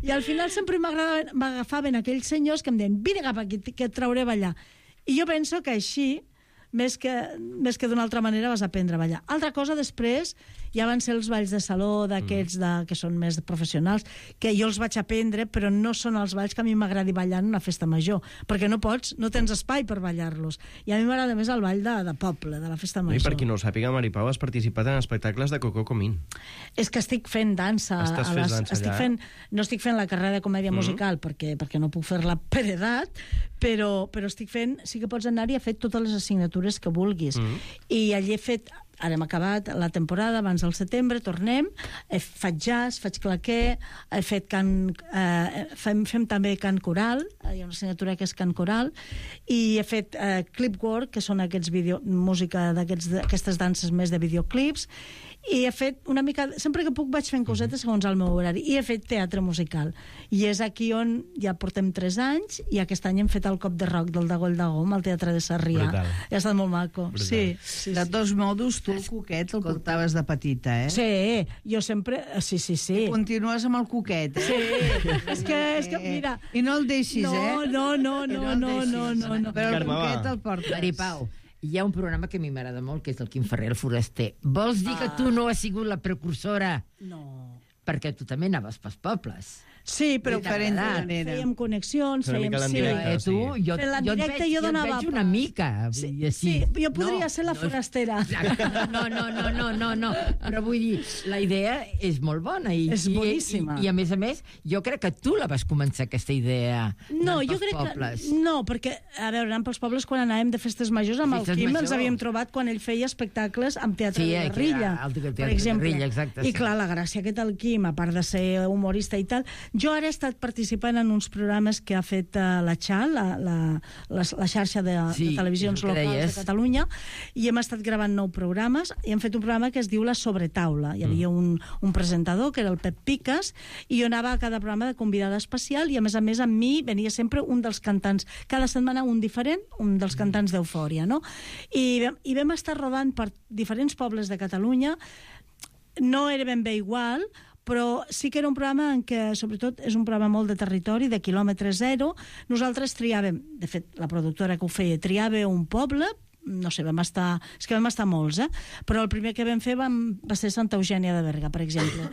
I al final sempre m'agafaven aquells senyors que em deien, vine cap aquí, que et trauré a ballar. I jo penso que així, més que, més que d'una altra manera vas aprendre a ballar. Altra cosa després ja van ser els balls de saló d'aquests de, que són més professionals, que jo els vaig aprendre, però no són els balls que a mi m'agradi ballar en una festa major, perquè no pots, no tens espai per ballar-los. I a mi m'agrada més el ball de, de poble, de la festa major. I per qui no ho sàpiga, Mari Pau, has participat en espectacles de Coco Comín. És que estic fent dansa. Estàs a fent les, dansa estic allà, fent, no estic fent la carrera de comèdia Mm. musical perquè, perquè no puc fer-la per edat, però, però estic fent, sí que pots anar-hi, he fet totes les assignatures que vulguis. Mm. I allí he fet, ara hem acabat la temporada, abans del setembre, tornem, he, faig jazz, faig claquer, he fet cant, eh, fem, fem també cant coral, hi ha una assignatura que és cant coral, i he fet eh, clipwork, que són aquests vídeo, música d'aquestes danses més de videoclips, i he fet una mica... Sempre que puc vaig fent cosetes segons el meu horari. I he fet teatre musical. I és aquí on ja portem tres anys i aquest any hem fet el cop de rock del Dagoll Dagom al Teatre de Sarrià. Brutal. I ha estat molt maco. Brutal. Sí, sí, De sí. tots modos, tu el coquet el portaves de petita, eh? Sí, jo sempre... Sí, sí, sí. Continues amb el coquet, eh? Sí, és que, és que, mira... I no el deixis, no, eh? No, no, I no, el no, deixis. no, no, no. Però el Carme, va. coquet el portes. Maripau, hi ha un programa que a mi m'agrada molt, que és el Quim Ferrer, el foraster. Vols dir que tu no has sigut la precursora? No. Perquè tu també anaves pels pobles. Sí, però Diferent fèiem, manera. fèiem connexions, Una fèiem... mica Sí, l'endirecte. Eh, tu, jo, Fent la jo, et directa veig, jo jo et donava veig una pas. mica. Sí, vull dir, sí, jo podria No, ser la no, forastera. No, no, no, no, no, no. Però vull dir, la idea és molt bona. I, És boníssima. I, i, I a més a més, jo crec que tu la vas començar, aquesta idea. No, anant jo pels crec pobles. que... No, perquè, a veure, anant pels pobles quan anàvem de festes majors amb Festes el Quim majors. ens havíem trobat quan ell feia espectacles amb Teatre Sí, de eh, que Guerrilla, era el Teatre per de exemple. Guerrilla, exacte, I sí. clar, la gràcia que té el Quim, a part de ser humorista i tal, jo ara he estat participant en uns programes que ha fet uh, la X A L, la, la, la, la xarxa de, Sí, de televisions és el que locals deies. de Catalunya, i hem estat gravant nou programes, i hem fet un programa que es diu La Sobretaula. Hi havia un, un presentador, que era el Pep Piques, i jo anava a cada programa de convidada especial, i a més a més amb mi venia sempre un dels cantants, cada setmana un diferent, un dels cantants d'Eufòria, no? I, vam- i vam estar rodant per diferents pobles de Catalunya, no era ben bé igual, però sí que era un programa en què, sobretot, és un programa molt de territori, de quilòmetre zero. Nosaltres triàvem, de fet, la productora que ho feia, triava un poble, no sé, vam estar... És que vam estar molts, eh? Però el primer que vam fer vam, va ser Santa Eugènia de Berga, per exemple.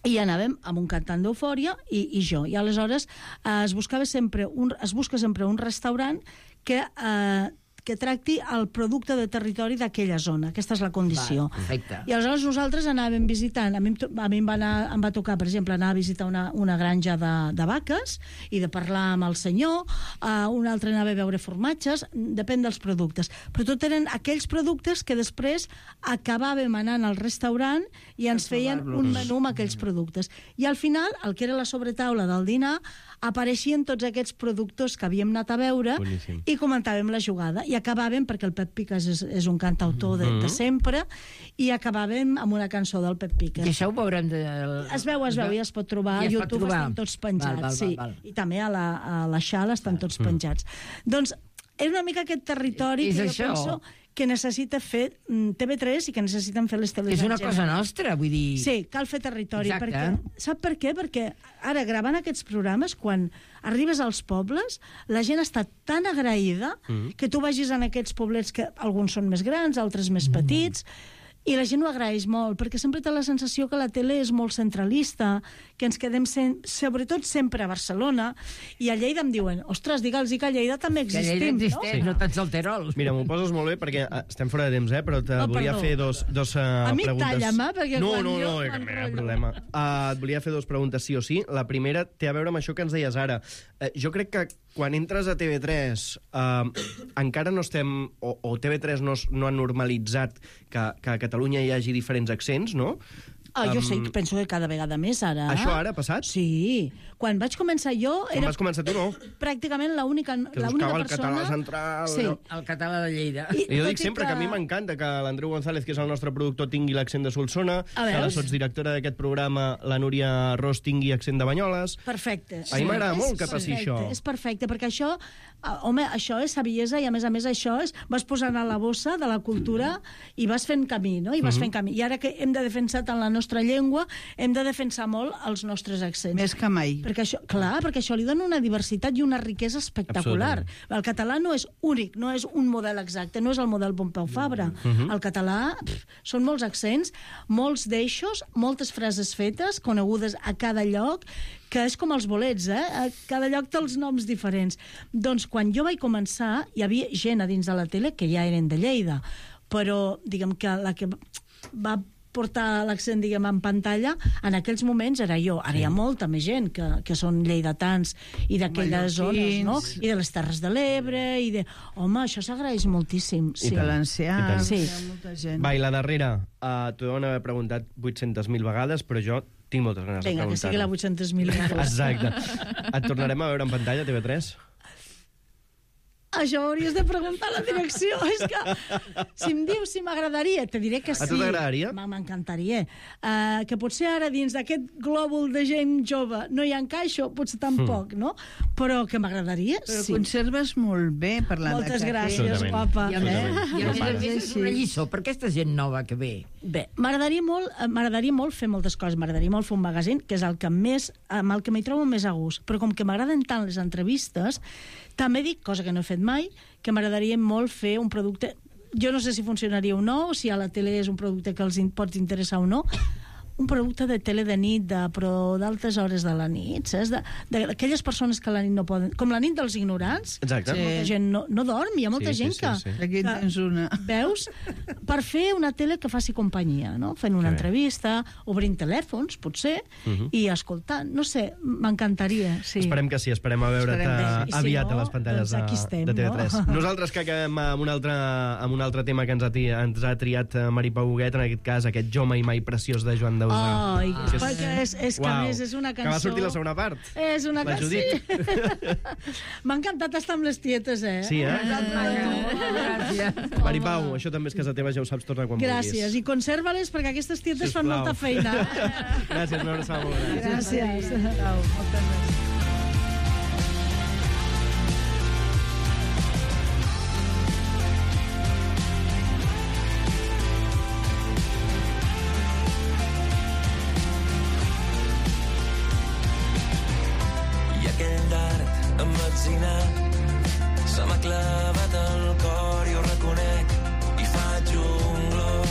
I anàvem amb un cantant d'Eufòria i, i jo. I aleshores eh, es buscava sempre un, es busca sempre un restaurant que... Eh, que tracti el producte de territori d'aquella zona. Aquesta és la condició. Va, perfecte. I aleshores nosaltres anàvem visitant, a mi, em to- a mi em, va anar, em va tocar, per exemple, anar a visitar una, una granja de, de vaques i de parlar amb el senyor, uh, un altre anava a veure formatges, depèn dels productes. Però tot eren aquells productes que després acabàvem anant al restaurant i ens feien un menú amb aquells productes. I al final, el que era la sobretaula del dinar, apareixien tots aquests productors que havíem anat a veure Boníssim. i comentàvem la jugada. I acabàvem, perquè el Pep Piques és, és un cantautor de, de sempre, i acabàvem amb una cançó del Pep I Piques. això ho veurem... De... Es veu, es veu, i es pot trobar. I A es pot YouTube trobar. estan tots penjats, Val, val, val, sí. val. I també a la, a la X A L estan tots penjats. Doncs és una mica aquest territori És que jo això. penso que necessita fer mm, T V tres i que necessiten fer les És televisions. una cosa nostra, vull dir... Sí, cal fer territori. Exacte. Perquè, sap per què? Perquè ara, gravant aquests programes, quan arribes als pobles, la gent està tan agraïda Mm. que tu vagis en aquests poblets que alguns són més grans, altres més petits, I la gent ho agraeix molt, perquè sempre té la sensació que la tele és molt centralista, que ens quedem, sen... sobretot sempre a Barcelona, i a Lleida em diuen, ostres, digue'ls que a Lleida també Que Lleida existim, existeix, no? no tants al Terol. Mira, m'ho poses molt bé perquè eh, estem fora de temps, eh? Però te Oh, volia perdó. fer dos, dos uh, A mi preguntes. talla'm, eh, perquè no, quan no, jo no, no, cap m'enrotllo. problema. Uh, et volia fer dos preguntes sí o sí. La primera té a veure amb això que ens deies ara. Uh, jo crec que quan entres a T V tres uh, encara no estem, o, o T V tres no, es- no ha normalitzat que, que a Catalunya hi hagi diferents accents, no? Ah, jo Um, sé, penso que cada vegada més ara. Això ara ha passat? Sí. Quan vaig començar jo, Quan era vas començar tu, no? pràcticament l'única Que l'única buscava el persona... català central... Sí. allò. El català de Lleida. I, I jo tot dic i sempre que... que a mi m'encanta que l'Andreu González, que és el nostre productor, tingui l'accent de Solsona, A que la veus? sotsdirectora d'aquest programa, la Núria Ros, tingui accent de Banyoles. Perfecte. A mi m'agrada És molt que passi perfecte, això. És perfecte, perquè això, ah, home, això és saviesa i, a més a més, això és... Vas posant a la bossa de la cultura i vas fent camí, no? I vas Mhm. fent camí. I ara que hem de defensar tant la nostra llengua, hem de defensar molt els nostres accents. Més que mai. Perquè això, clar, perquè això li dona una diversitat i una riquesa espectacular. El català no és únic, no és un model exacte, no és el model Pompeu Fabra. Mhm. El català pff, són molts accents, molts d'eixos, moltes frases fetes, conegudes a cada lloc, que és com els bolets, eh? A cada lloc té els noms diferents. Doncs quan jo vaig començar, hi havia gent a dins de la tele que ja eren de Lleida, però diguem que la que va portar l'accent, diguem, en pantalla, en aquells moments era jo. Ara hi ha molta més gent que, que són lleidatans i d'aquelles zones, no? I de les Terres de l'Ebre, i de... Home, això s'agraeix moltíssim. Sí. Valencià, I tant. Sí. hi ha molta gent. Va, i la darrera, uh, t'ho deuen haver preguntat vuit-centes mil vegades, però jo tinc moltes ganes Vinga, de que sigui la preguntar-ho. vuit-centes mil. Exacte. Et tornarem a veure en pantalla, T V tres? Això ho hauries de preguntar a la direcció. És que, si em dius si m'agradaria, te diré que sí. A tu t'agradaria? M- M'encantaria. Uh, que potser ara dins d'aquest glòbul de gent jove no hi encaixo, potser tampoc, no? Però que m'agradaria, Però sí. conserves molt bé parlant Moltes de cafè. gràcies, Absolutament. guapa. I a més, Absolutament. i a No més, a pares. més és una lliçó per aquesta gent nova que ve. Bé, m'agradaria molt, eh, m'agradaria molt fer moltes coses. M'agradaria molt fer un magazín, que és el que més, amb el que m'hi trobo més a gust. Però com que m'agraden tant les entrevistes, també dic, cosa que no he fet mai, que m'agradaria molt fer un producte... Jo no sé si funcionaria o no, si a la tele és un producte que els in, pots interessar o no, un producte de tele de nit, de, però d'altes hores de la nit, saps? De- de- D'aquelles persones que a la nit no poden... Com la nit dels ignorants, Exacte. Sí. molta gent no, no dorm, hi ha molta Sí, sí, gent sí, que... sí. Aquí en tens una. Veus? Per fer una tele que faci companyia, no? Fent una Que bé. entrevista, obrint telèfons, potser, Mhm. i escoltant. No sé, m'encantaria, sí. Esperem que sí, esperem a veure't Esperem uh, que sí. I si aviat no, a les pantalles doncs aquí de, estem, de T V tres. no? Nosaltres que acabem amb un altre, amb un altre tema que ens ha, ti- ens ha triat eh, Mari Pau Huguet, en aquest cas, aquest Jo mai mai preciós de Joan Dausà. Ai, Que és- perquè és, és que a més és una cançó... Que va sortir la segona part. És una La cançó... Judit. M'ha encantat estar amb les tietes, eh? Sí, eh? Gràcies. Mari Pau, això també és casa teva, ja ho saps, torna quan Gràcies. vulguis. I conserva-les perquè aquestes tietes fan Sisplau. molta feina. Gràcies, una abraçada molt gran. Gràcies. Au, moltes gràcies. I aquell dard emmetzinat se m'ha clavat al cor i ho reconec i faig un glob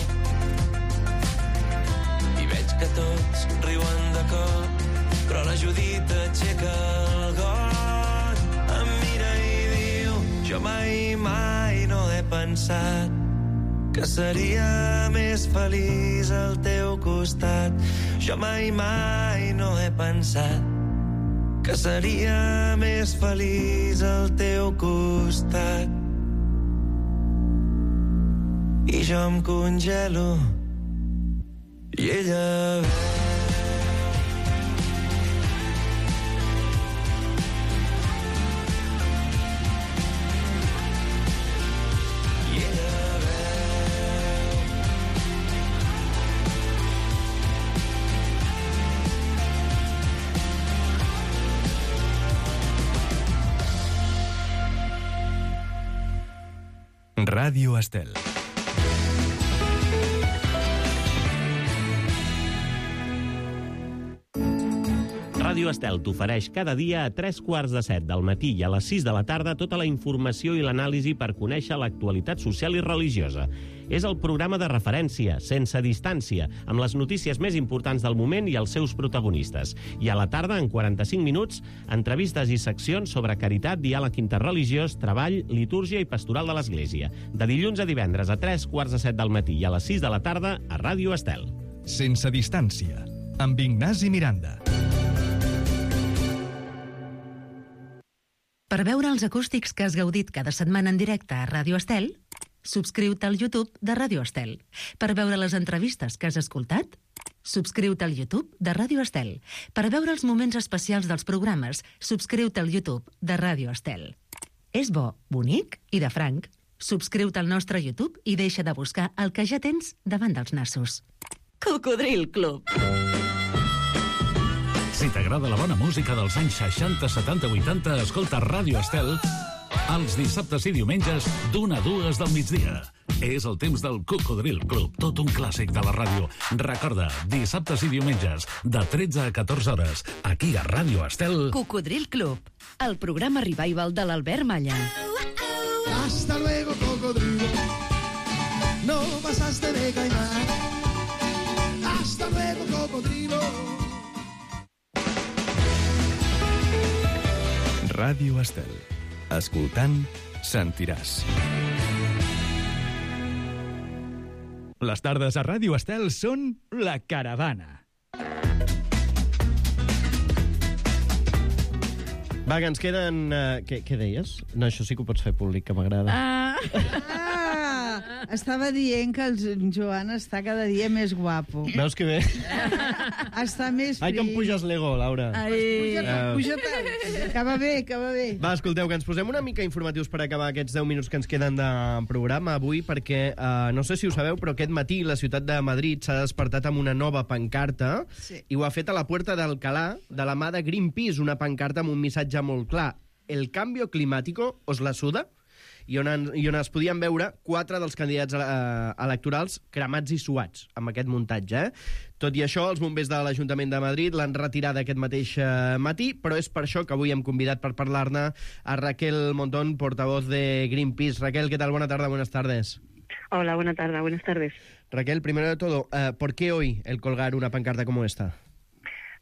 i veig que tots riuen de cop però la Judit aixeca el got, em mira i diu jo mai mai no he pensat que seria més feliç al teu costat, jo mai mai no he pensat que seria més feliç al teu costat. I jo em congelo i ella ve. I ella veu. Ràdio Estel. Ràdio Estel t'ofereix cada dia a tres quarts de set del matí i a les sis de la tarda tota la informació i l'anàlisi per conèixer l'actualitat social i religiosa. És el programa de referència, sense distància, amb les notícies més importants del moment i els seus protagonistes. I a la tarda, en quaranta-cinc minuts, entrevistes i seccions sobre caritat, diàleg interreligiós, treball, litúrgia i pastoral de l'Església. De dilluns a divendres a tres quarts de set del matí i a les sis de la tarda a Ràdio Estel. Sense distància, amb Ignasi Miranda. Per veure els acústics que has gaudit cada setmana en directe a Ràdio Estel, subscriu-te al YouTube de Ràdio Estel. Per veure les entrevistes que has escoltat, subscriu-te al YouTube de Ràdio Estel. Per veure els moments especials dels programes, subscriu-te al YouTube de Ràdio Estel. És bo, bonic i de franc. Subscriu-te al nostre YouTube i deixa de buscar el que ja tens davant dels nassos. Cocodril Club. Si t'agrada la bona música dels anys seixanta, setanta, vuitanta, escolta Ràdio Estel els dissabtes i diumenges d'una a dues del migdia. És el temps del Cocodril Club, tot un clàssic de la ràdio. Recorda, dissabtes i diumenges, de tretze a catorze hores, aquí a Ràdio Estel. Cocodril Club, el programa revival de l'Albert Malla. Hasta luego, cocodrilo. No pasaste de caimán. Hasta luego, cocodrilo. Ràdio Estel. Escoltant, sentiràs. Les tardes a Ràdio Estel són La Caravana. Va, que ens queden... Uh, què, què deies? No, això sí que ho pots fer públic, que m'agrada. Ah. ah, estava dient que el Joan està cada dia més guapo. Veus que bé? Està més Ai, que em puges l'ego, Laura. Ai, puja, uh... puja tant. Que va bé, que va bé. Va, escolteu, que ens posem una mica informatius per acabar aquests deu minuts que ens queden de programa avui, perquè, uh, no sé si ho sabeu, però aquest matí la ciutat de Madrid s'ha despertat amb una nova pancarta, sí. I ho ha fet a la Puerta d'Alcalá, de la mà de Greenpeace, una pancarta amb un missatge molt clar. El cambio climático os la suda? I on, en, i on es podien veure quatre dels candidats eh, electorals cremats i suats amb aquest muntatge. Eh? Tot i això, els bombers de l'Ajuntament de Madrid l'han retirat aquest mateix eh, matí, però és per això que avui hem convidat per parlar-ne a Raquel Montón, portavoz de Greenpeace. Raquel, ¿qué tal? Buena tarde, buenas tardes. Hola, buena tarde, buenas tardes. Raquel, primero de todo, eh, ¿por qué hoy el colgar una pancarta como esta?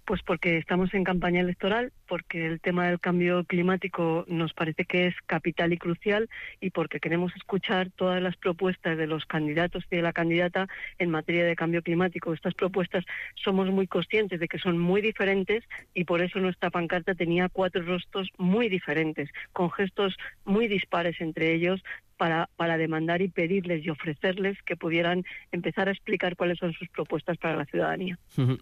Pues porque estamos en campaña electoral, porque el tema del cambio climático nos parece que es capital y crucial y porque queremos escuchar todas las propuestas de los candidatos y de la candidata en materia de cambio climático. Estas propuestas somos muy conscientes de que son muy diferentes y por eso nuestra pancarta tenía cuatro rostros muy diferentes, con gestos muy dispares entre ellos, Para, para demandar y pedirles y ofrecerles que pudieran empezar a explicar cuáles son sus propuestas para la ciudadanía.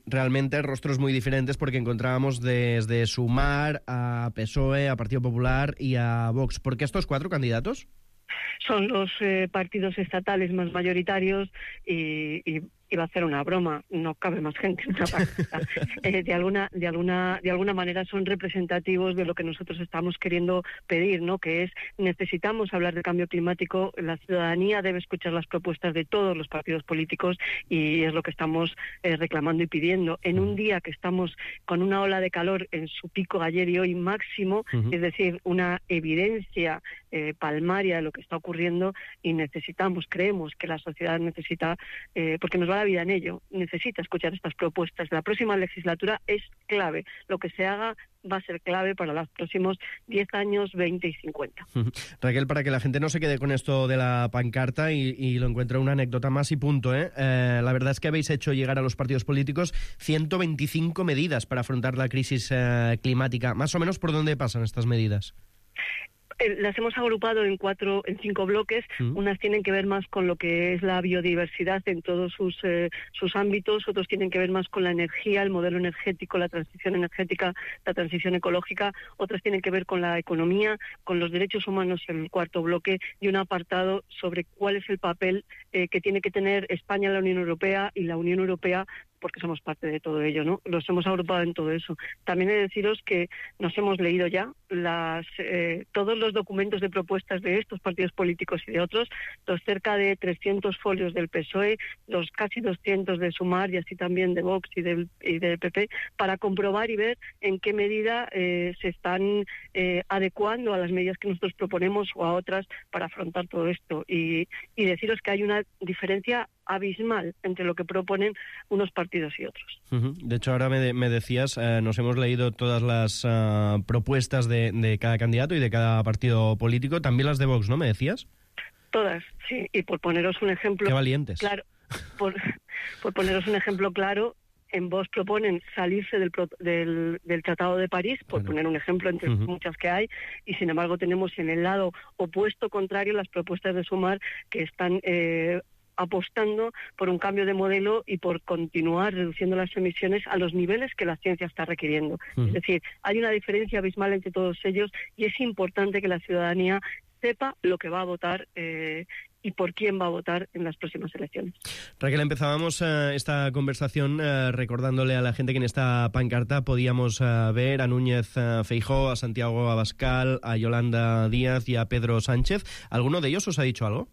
Realmente rostros muy diferentes porque encontrábamos desde Sumar a P S O E, a Partido Popular y a Vox. ¿Por qué estos cuatro candidatos? Son los eh, partidos estatales más mayoritarios y, y iba a hacer una broma, no cabe más gente en una pancarta. Eh, de alguna, de alguna, de alguna manera son representativos de lo que nosotros estamos queriendo pedir, ¿no? Que es necesitamos hablar de cambio climático, la ciudadanía debe escuchar las propuestas de todos los partidos políticos y es lo que estamos eh, reclamando y pidiendo. En un día que estamos con una ola de calor en su pico ayer y hoy máximo, uh-huh. Es decir, una evidencia eh, palmaria de lo que está ocurriendo y necesitamos, creemos que la sociedad necesita, eh, porque nos va a la vida en ello, necesita escuchar estas propuestas. La próxima legislatura es clave. Lo que se haga va a ser clave para los próximos diez años, veinte y cincuenta. Raquel, para que la gente no se quede con esto de la pancarta y, y lo encuentre una anécdota más y punto, ¿eh? Eh, la verdad es que habéis hecho llegar a los partidos políticos ciento veinticinco medidas para afrontar la crisis eh, climática. Más o menos, ¿por dónde pasan estas medidas? Las hemos agrupado en cuatro, en cinco bloques. Mm. Unas tienen que ver más con lo que es la biodiversidad en todos sus eh, sus ámbitos. Otros tienen que ver más con la energía, el modelo energético, la transición energética, la transición ecológica. Otras tienen que ver con la economía, con los derechos humanos en el cuarto bloque y un apartado sobre cuál es el papel eh, que tiene que tener España en la Unión Europea y la Unión Europea porque somos parte de todo ello, ¿no? Los hemos agrupado en todo eso. También he de deciros que nos hemos leído ya las, eh, todos los documentos de propuestas de estos partidos políticos y de otros, los cerca de trescientos folios del P S O E, los casi doscientos de Sumar y así también de Vox y del, y del P P, para comprobar y ver en qué medida eh, se están eh, adecuando a las medidas que nosotros proponemos o a otras para afrontar todo esto. Y, y deciros que hay una diferencia abismal entre lo que proponen unos partidos y otros. Uh-huh. De hecho, ahora me, de, me decías, eh, nos hemos leído todas las uh, propuestas de, de cada candidato y de cada partido político, también las de Vox, ¿no? ¿Me decías? Todas, sí. Y por poneros un ejemplo... ¡Qué valientes! Claro, por, por poneros un ejemplo claro, en Vox proponen salirse del, del, del Tratado de París, por bueno. poner un ejemplo entre uh-huh. muchas que hay, y sin embargo tenemos en el lado opuesto, contrario, las propuestas de Sumar que están... Eh, apostando por un cambio de modelo y por continuar reduciendo las emisiones a los niveles que la ciencia está requiriendo. Uh-huh. Es decir, hay una diferencia abismal entre todos ellos y es importante que la ciudadanía sepa lo que va a votar eh, y por quién va a votar en las próximas elecciones. Raquel, empezábamos uh, esta conversación uh, recordándole a la gente que en esta pancarta podíamos uh, ver a Núñez uh, Feijóo, a Santiago Abascal, a Yolanda Díaz y a Pedro Sánchez. ¿Alguno de ellos os ha dicho algo?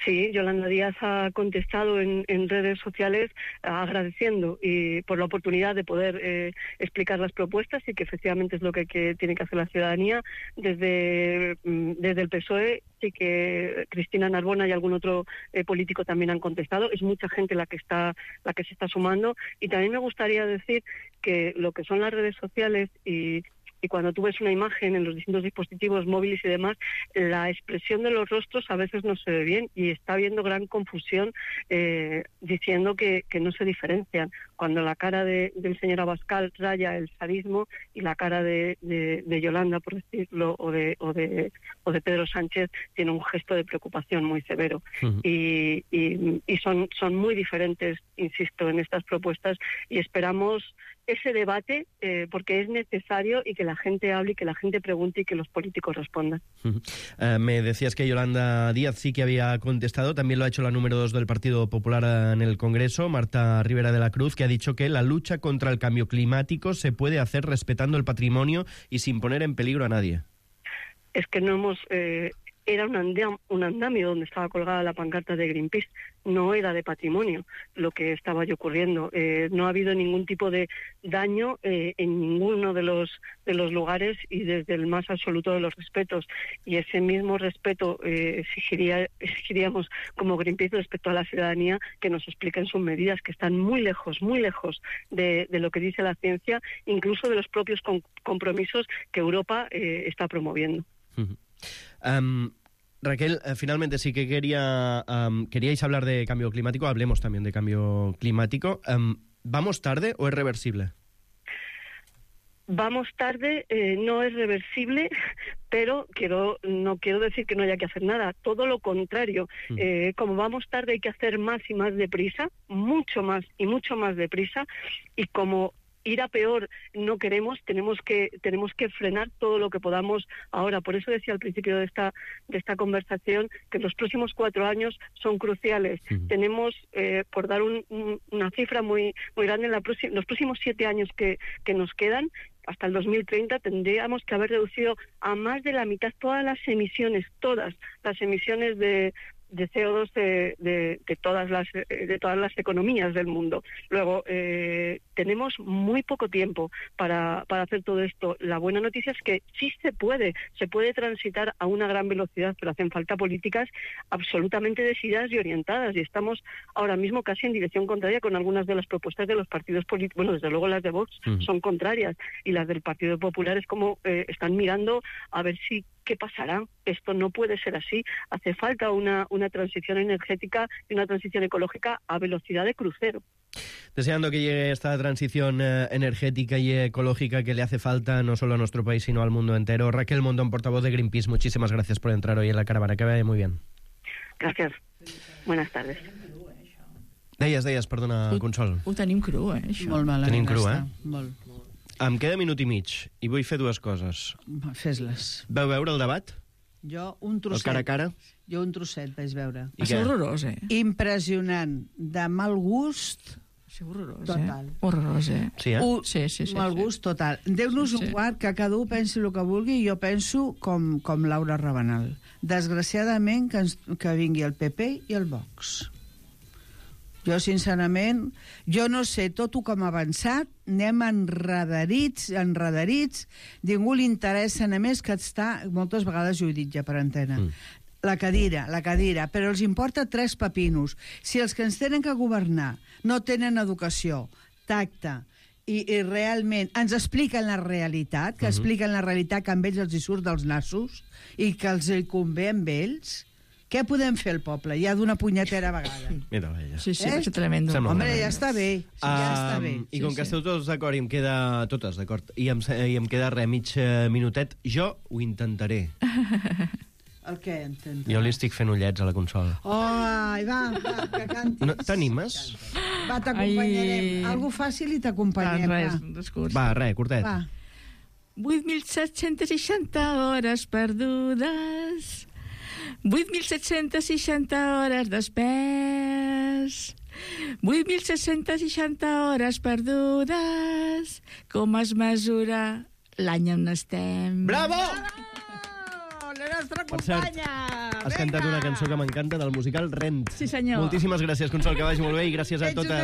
Sí, Yolanda Díaz ha contestado en, en redes sociales agradeciendo y por la oportunidad de poder eh, explicar las propuestas y que efectivamente es lo que, que tiene que hacer la ciudadanía. Desde, desde el P S O E sí que Cristina Narbona y algún otro eh, político también han contestado. Es mucha gente la que está la que se está sumando. Y también me gustaría decir que lo que son las redes sociales y Y cuando tú ves una imagen en los distintos dispositivos móviles y demás, la expresión de los rostros a veces no se ve bien y está habiendo gran confusión eh, diciendo que, que no se diferencian. Cuando la cara de, del señor Abascal raya el sadismo y la cara de, de, de Yolanda, por decirlo, o de, o, de, o de Pedro Sánchez tiene un gesto de preocupación muy severo. Uh-huh. Y, y, y son, son muy diferentes, insisto, en estas propuestas y esperamos ese debate eh, porque es necesario y que la gente hable y que la gente pregunte y que los políticos respondan. Uh-huh. Uh, me decías que Yolanda Díaz sí que había contestado, también lo ha hecho la número dos del Partido Popular en el Congreso, Marta Rivera de la Cruz, que ha dicho que la lucha contra el cambio climático se puede hacer respetando el patrimonio y sin poner en peligro a nadie. Es que no hemos... Eh, era un, andam, un andamio donde estaba colgada la pancarta de Greenpeace, no era de patrimonio lo que estaba allí ocurriendo. Eh, no ha habido ningún tipo de daño eh, en ninguno de los de los lugares y desde el más absoluto de los respetos. Y ese mismo respeto eh, exigiría, exigiríamos como Greenpeace respecto a la ciudadanía que nos expliquen sus medidas, que están muy lejos, muy lejos de, de lo que dice la ciencia, incluso de los propios com- compromisos que Europa eh, está promoviendo. Uh-huh. Um, Raquel, eh, finalmente sí que quería um, queríais hablar de cambio climático, hablemos también de cambio climático. Um, ¿Vamos tarde o es reversible? Vamos tarde, eh, no es reversible, pero quiero no quiero decir que no haya que hacer nada, todo lo contrario. Mm. Eh, como vamos tarde hay que hacer más y más deprisa, mucho más y mucho más deprisa, y como ir a peor no queremos, tenemos que tenemos que frenar todo lo que podamos ahora. Por eso decía al principio de esta de esta conversación que los próximos cuatro años son cruciales. Uh-huh. Tenemos, eh, por dar un, un, una cifra muy muy grande, en la próxima, los próximos siete años que, que nos quedan, hasta el dos mil treinta, tendríamos que haber reducido a más de la mitad todas las emisiones, todas las emisiones de de C O dos de, de, de todas las de todas las economías del mundo. Luego eh, tenemos muy poco tiempo para, para hacer todo esto. La buena noticia es que sí se puede, se puede transitar a una gran velocidad, pero hacen falta políticas absolutamente decididas y orientadas, y estamos ahora mismo casi en dirección contraria con algunas de las propuestas de los partidos políticos. Bueno, desde luego las de Vox uh-huh. son contrarias, y las del Partido Popular es como eh, están mirando a ver si ¿qué pasará? Esto no puede ser así. Hace falta una, una transición energética y una transición ecológica a velocidad de crucero. Deseando que llegue esta transición eh, energética y ecológica que le hace falta no solo a nuestro país, sino al mundo entero. Raquel Mondón, portavoz de Greenpeace, muchísimas gracias por entrar hoy en la caravana. Que vaya muy bien. Gracias. Buenas tardes. Deies, deies, perdona, Consol. Ho tenim cru, eh, això. Molt malament. Tenim cru, eh? Molt. Em queda minut i mig i vull fer dues coses. Fes-les. Vau veure el debat? Jo un trosset. El cara a cara? Jo un trosset vaig veure. Va ser horrorós, eh? Impressionant. De mal gust, Sí, horrorós, Total. eh? Horrorós, eh? Sí, eh? Uh, Sí, sí, sí. Mal sí. gust total. Déu-nos Sí. un guard, que cada un pensi el que vulgui, i jo penso com, com Laura Rabanal. Desgraciadament, que, ens, que vingui el P P i el Vox. Jo, sincerament, jo no sé tot ho com ha avançat, anem enredarits, enredarits, ningú li interessa només que està, moltes vegades jo ho he dit ja per antena, mm. la cadira, la cadira, però els importa tres pepinos. Si els que ens tenen que governar no tenen educació, tacte, i, i realment ens expliquen la realitat, que mm-hmm. expliquen la realitat que amb ells els hi surt dels nassos i que els hi convé amb ells, què podem fer el poble? Ja d'una punyetera vegada. Mira ella. Sí, sí, Eh? és tremendo. Sembla Home, una ja està bé. Sí, ja està bé. Um, I com que esteu tots d'acord i em queda... Totes d'acord. I em, i em queda res, mig eh, minutet. Jo ho intentaré. El què, entenc? Jo li estic fent ullets a la consola. Oh, ai, va, va, que cantis. No, T'animes? Va, t'acompanyarem. Ai. Algo fàcil i t'acompanyem. Res, va. res curs. Va, res, curtet. Va. vuit mil set-cents seixanta hores perdudes, vuit mil set-cents seixanta hores despers, vuit mil set-cents seixanta hores perdudes, com es mesura l'any on estem? Bravo! La nostra Per cert, companya! has cantat una cançó que m'encanta del musical Rent. Sí, senyor. Moltíssimes gràcies, Consol, que vagi molt bé i gràcies a Ets un totes.